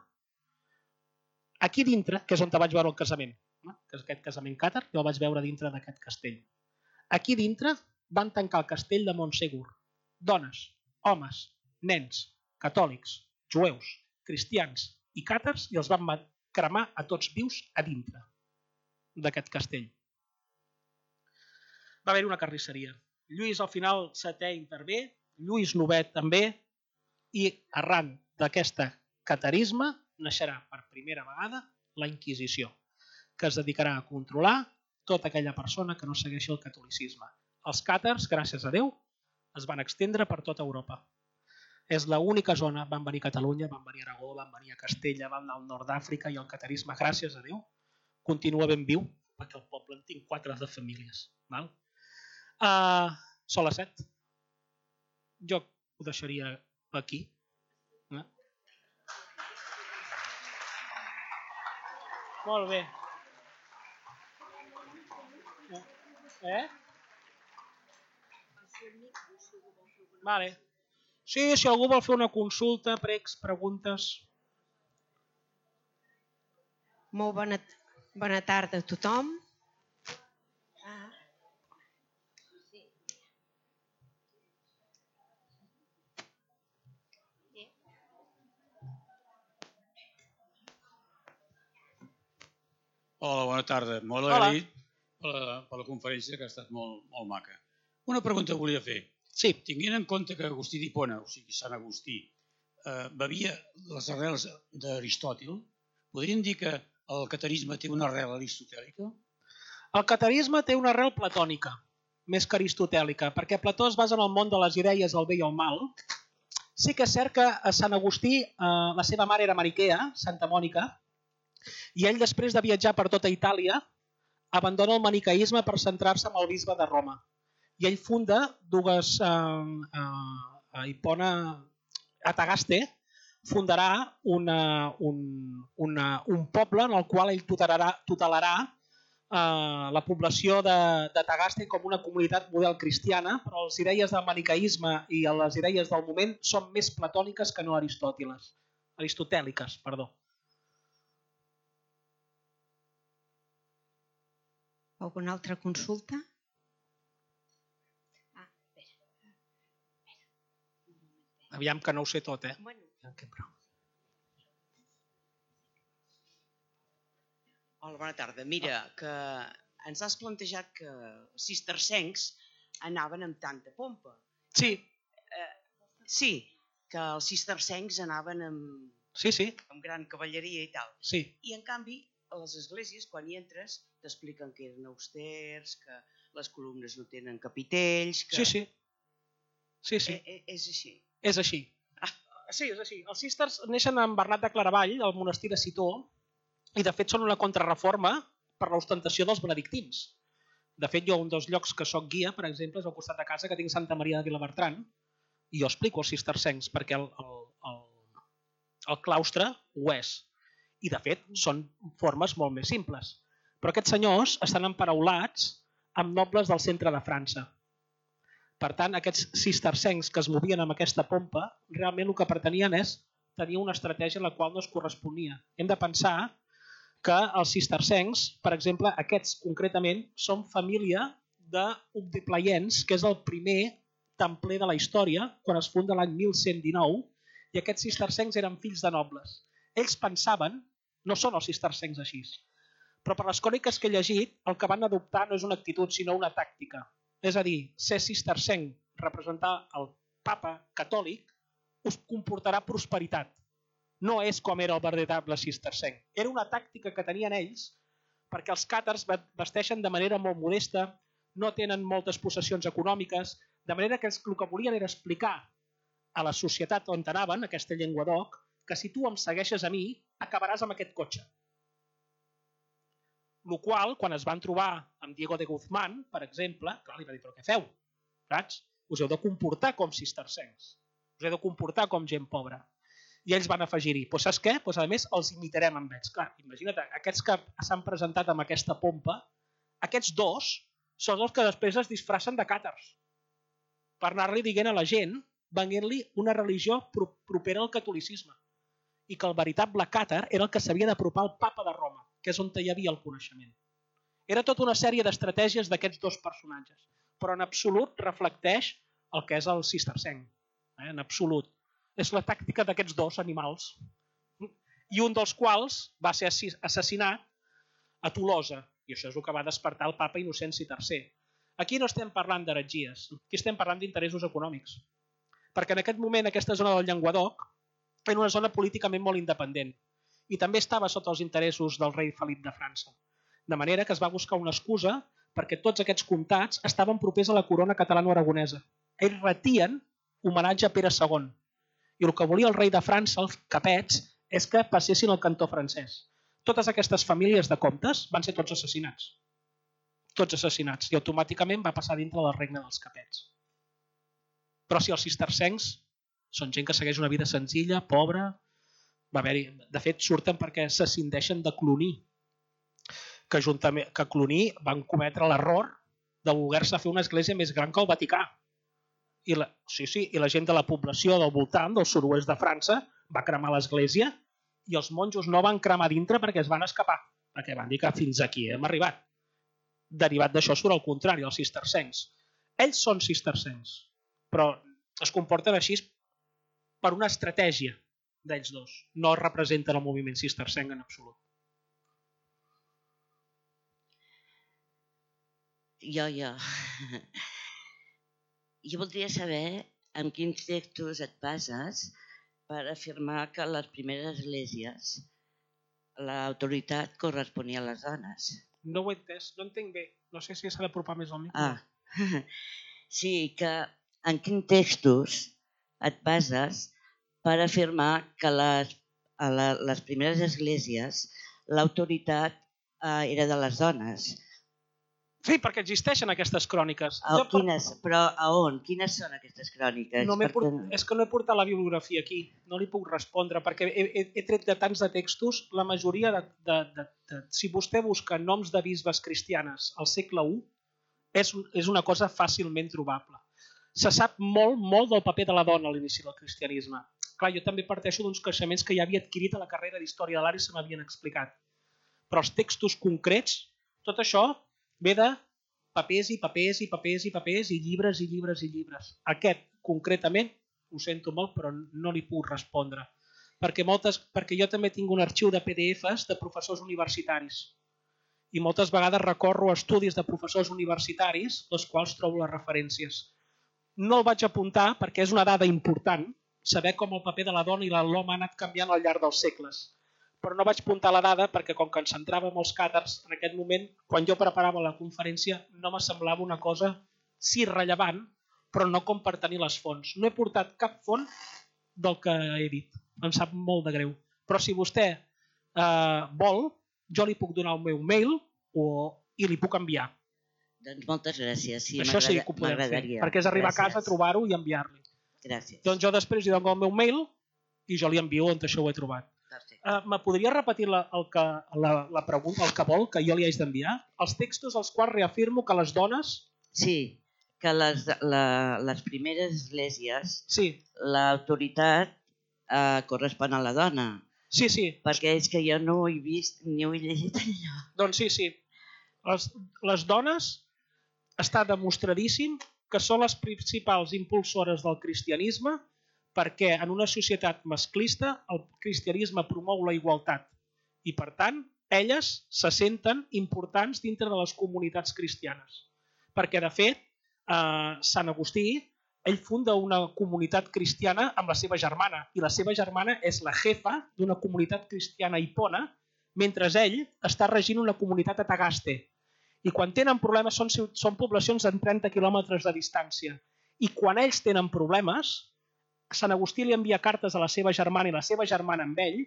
aquí dintre, que és on te vaig veure el casament, eh? Que és aquest casament càtar, jo el vaig veure dintre d'aquest castell. Aquí dintre van tancar el castell de Montsegur. Dones, homes, nens, catòlics, jueus, cristians i càtars i els van cremar a tots vius a dintre d'aquest castell. Va haver-hi una carnisseria. Lluís al final setè intervé, Lluís novè també, i arran d'aquest catarisme naixerà per primera vegada la Inquisició, que es dedicarà a controlar tota aquella persona que no segueixi el catolicisme. Els càtars, gràcies a Déu, es van estendre per tota Europa. És l'única zona, van venir a Catalunya, van venir a Aragó, van venir a Castella, van anar al nord d'Àfrica i el catarisme, gràcies a Déu, continua ben viu, perquè el poble en tinc quatre de famílies. Val? Uh, són les set. Jo ho deixaria aquí. Eh? Molt bé. Eh? Vale. Sí, si algú vol fer una consulta, pregs, preguntes. Molt bona, bona tarda a tothom. Ah. Sí. Hola, bona tarda. Molt agraït per la, per la conferència, que ha estat molt, molt maca. Una pregunta volia fer. Sí. Tinguent en compte que Agustí d'Hipona, o sigui, Sant Agustí, eh, bevia les arrels d'Aristòtil, podríem dir que el catarisme té una arrel aristotèlica? El catarisme té una arrel platònica, més que aristotèlica, perquè Plató es basa en el món de les idees del bé i el mal. Sí que és cert que a Sant Agustí eh, la seva mare era mariquea, Santa Mònica, i ell després de viatjar per tota Itàlia abandona el maniqueisme per centrar-se en el bisbe de Roma. I ell funda dues... Eh, eh, a Hipona, a Tagaste, fundarà una, un, una, un poble en el qual ell tutelarà, tutelarà eh, la població de, de Tagaste com una comunitat model cristiana, però les idees del maniqueisme i les idees del moment són més platòniques que no aristòtiles, aristotèliques, perdó. Alguna altra consulta? Aviam que no ho sé tot, eh? Bueno. Hola, bona tarda. Mira, que ens has plantejat que els cistercencs anaven amb tanta pompa. Sí. Eh, sí, que els cistercencs anaven amb, sí, sí. amb gran cavalleria i tal. Sí. I en canvi, a les esglésies, quan hi entres, t'expliquen que eren austers, que les columnes no tenen capitells... Que... Sí, sí. Sí, sí. Eh, eh, és així. És així. Ah. Sí, és així. Els cisters neixen en Bernat de Claravall, al monestir de Citó, i de fet són una contrarreforma per l'ostentació dels benedictins. De fet, jo un dels llocs que soc guia, per exemple, és al costat de casa, que tinc Santa Maria de Vilabertran, i jo explico els cistercencs, perquè el, el, el, el claustre ho és. I de fet, són formes molt més simples. Però aquests senyors estan emparaulats amb nobles del centre de França. Per tant, aquests cistercencs que es movien amb aquesta pompa, realment el que pretenien és tenir una estratègia en la qual no es corresponia. Hem de pensar que els cistercencs, per exemple, aquests concretament, són família d'Obdipleiens, que és el primer templer de la història, quan es funda l'any mil cent dinou, i aquests cistercencs eren fills de nobles. Ells pensaven, no són els cistercencs així, però per les cròniques que he llegit, el que van adoptar no és una actitud, sinó una tàctica. És a dir, ser cistercenc, representar el papa catòlic, us comportarà prosperitat. No és com era el veritable cistercenc. Era una tàctica que tenien ells perquè els càtars vesteixen de manera molt modesta, no tenen moltes possessions econòmiques, de manera que el que volien era explicar a la societat on anaven, aquesta llengua d'oc, que si tu em segueixes a mi, acabaràs amb aquest cotxe. El qual, quan es van trobar amb Diego de Guzmán, per exemple, clar, li va dir, però què feu? Saps? Us heu de comportar com cistercencs. Us heu de comportar com gent pobra. I ells van afegir-hi, doncs saps què? Doncs a més els imitarem amb ells. Clar, imagina't, aquests que s'han presentat amb aquesta pompa, aquests dos són els que després es disfracen de càtars per anar-li dient a la gent, venint-li una religió propera al catolicisme. I que el veritable càtar era el que s'havia d'apropar al papa de Roma, que és on hi havia el coneixement. Era tota una sèrie d'estratègies d'aquests dos personatges, però en absolut reflecteix el que és el cistercenc. Eh? En absolut. És la tàctica d'aquests dos animals. I un dels quals va ser assassinat a Tolosa, i això és el que va despertar el papa Innocenci tercer. Aquí no estem parlant d'heretgies, aquí estem parlant d'interessos econòmics. Perquè en aquest moment aquesta zona del Llenguadoc era una zona políticament molt independent i també estava sota els interessos del rei Felip de França. De manera que es va buscar una excusa perquè tots aquests comtats estaven propers a la corona catalano-aragonesa. Ells retien homenatge a Pere segon. I el que volia el rei de França, els capets, és que passessin al cantó francès. Totes aquestes famílies de comtes van ser tots assassinats. Tots assassinats. I automàticament va passar dintre del regne dels capets. Però si els cistercencs són gent que segueix una vida senzilla, pobra, va haver-hi, de fet surten perquè s'ascindeixen de Cluny, que, juntament, que Cluny van cometre l'error de voler-se fer una església més gran que el Vaticà. I la, sí, sí, i la gent de la població del voltant, del sud-oest de França, va cremar l'església i els monjos no van cremar dintre perquè es van escapar, perquè van dir que fins aquí hem arribat. Derivat d'això surt al contrari, els cistercencs. Ells són cistercencs, però es comporten així per una estratègia d'ells dos. No representen el moviment cistercenc en absolut. Jo, jo. Jo voldria saber en quins textos et bases per afirmar que a les primeres esglésies l'autoritat corresponia a les dones. No ho he entès, no entenc bé. No sé si s'ha d'apropar més al micro. Ah, sí, que en quins textos et bases per afirmar que les, a la, les primeres esglésies l'autoritat eh, era de les dones. Sí, perquè existeixen aquestes cròniques. A, Jo, per- quines, però a on? Quines són aquestes cròniques? No m'he Perquè- port... És que no he portat la bibliografia aquí, no li puc respondre, perquè he, he, he tret de tants de textos, la majoria de, de, de, de... Si vostè busca noms de bisbes cristianes al segle u, és, és una cosa fàcilment trobable. Se sap molt, molt del paper de la dona a l'inici del cristianisme. Clar, jo també parteixo d'uns coneixements que ja havia adquirit a la carrera d'Història de l'Art i se m'havien explicat. Però els textos concrets, tot això ve de papers i papers i papers i papers i llibres i llibres i llibres. Aquest, concretament, ho sento molt, però no li puc respondre. Perquè, moltes, perquè jo també tinc un arxiu de P D Fs de professors universitaris. I moltes vegades recorro a estudis de professors universitaris, els quals trobo les referències. No el vaig apuntar perquè és una dada important, saber com el paper de la dona i l'home ha anat canviant al llarg dels segles. Però no vaig apuntar la dada perquè com que ens centràvem els càtars, en aquest moment, quan jo preparava la conferència, no me semblava una cosa sí rellevant, però no com per tenir les fonts. No he portat cap font del que he dit. Em sap molt de greu. Però si vostè eh, vol, jo li puc donar el meu mail o, i li puc enviar. Doncs moltes gràcies. Sí, Això sí que ho podem fer, perquè és arribar a casa, trobar-ho i enviar-li. Gràcies. Doncs jo després li dono el meu mail i jo li envio on això ho he trobat. Uh, me podria repetir la, el que, la, la pregunta, el que vol, que jo li haig d'enviar? Els textos als quals reafirmo que les dones... Sí, que les, la, les primeres esglésies, sí. l'autoritat eh, correspon a la dona. Sí, sí. Perquè és que jo no ho he vist ni ho he llegit allò. Doncs sí, sí. Les, les dones està demostradíssim que són les principals impulsores del cristianisme, perquè en una societat masclista el cristianisme promou la igualtat i, per tant, elles se senten importants dintre de les comunitats cristianes. Perquè, de fet, eh, Sant Agustí, ell funda una comunitat cristiana amb la seva germana i la seva germana és la jefa d'una comunitat cristiana a Hipona, mentre ell està regint una comunitat a Tagaste. I quan tenen problemes són, són poblacions en trenta quilòmetres de distància. I quan ells tenen problemes, Sant Agustí li envia cartes a la seva germana i la seva germana amb ell,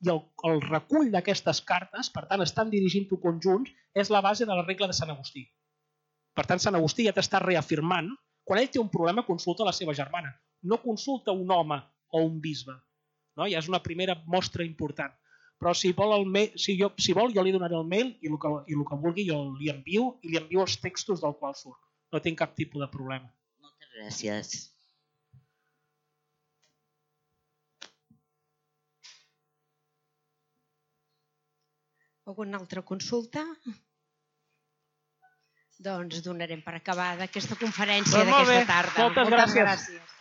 i el, el recull d'aquestes cartes, per tant, estan dirigint-ho conjunts, és la base de la regla de Sant Agustí. Per tant, Sant Agustí ja t'està reafirmant, quan ell té un problema, consulta la seva germana. No consulta un home o un bisbe. No? Ja és una primera mostra important. Però si vol, el mail, si, jo, si vol jo li donaré el mail i el que, i el que vulgui jo li envio i li envio els textos del qual surt. No tinc cap tipus de problema. Moltes gràcies. Alguna altra consulta? Doncs donarem per acabada aquesta conferència Doncs molt bé. d'aquesta tarda. Moltes gràcies. gràcies.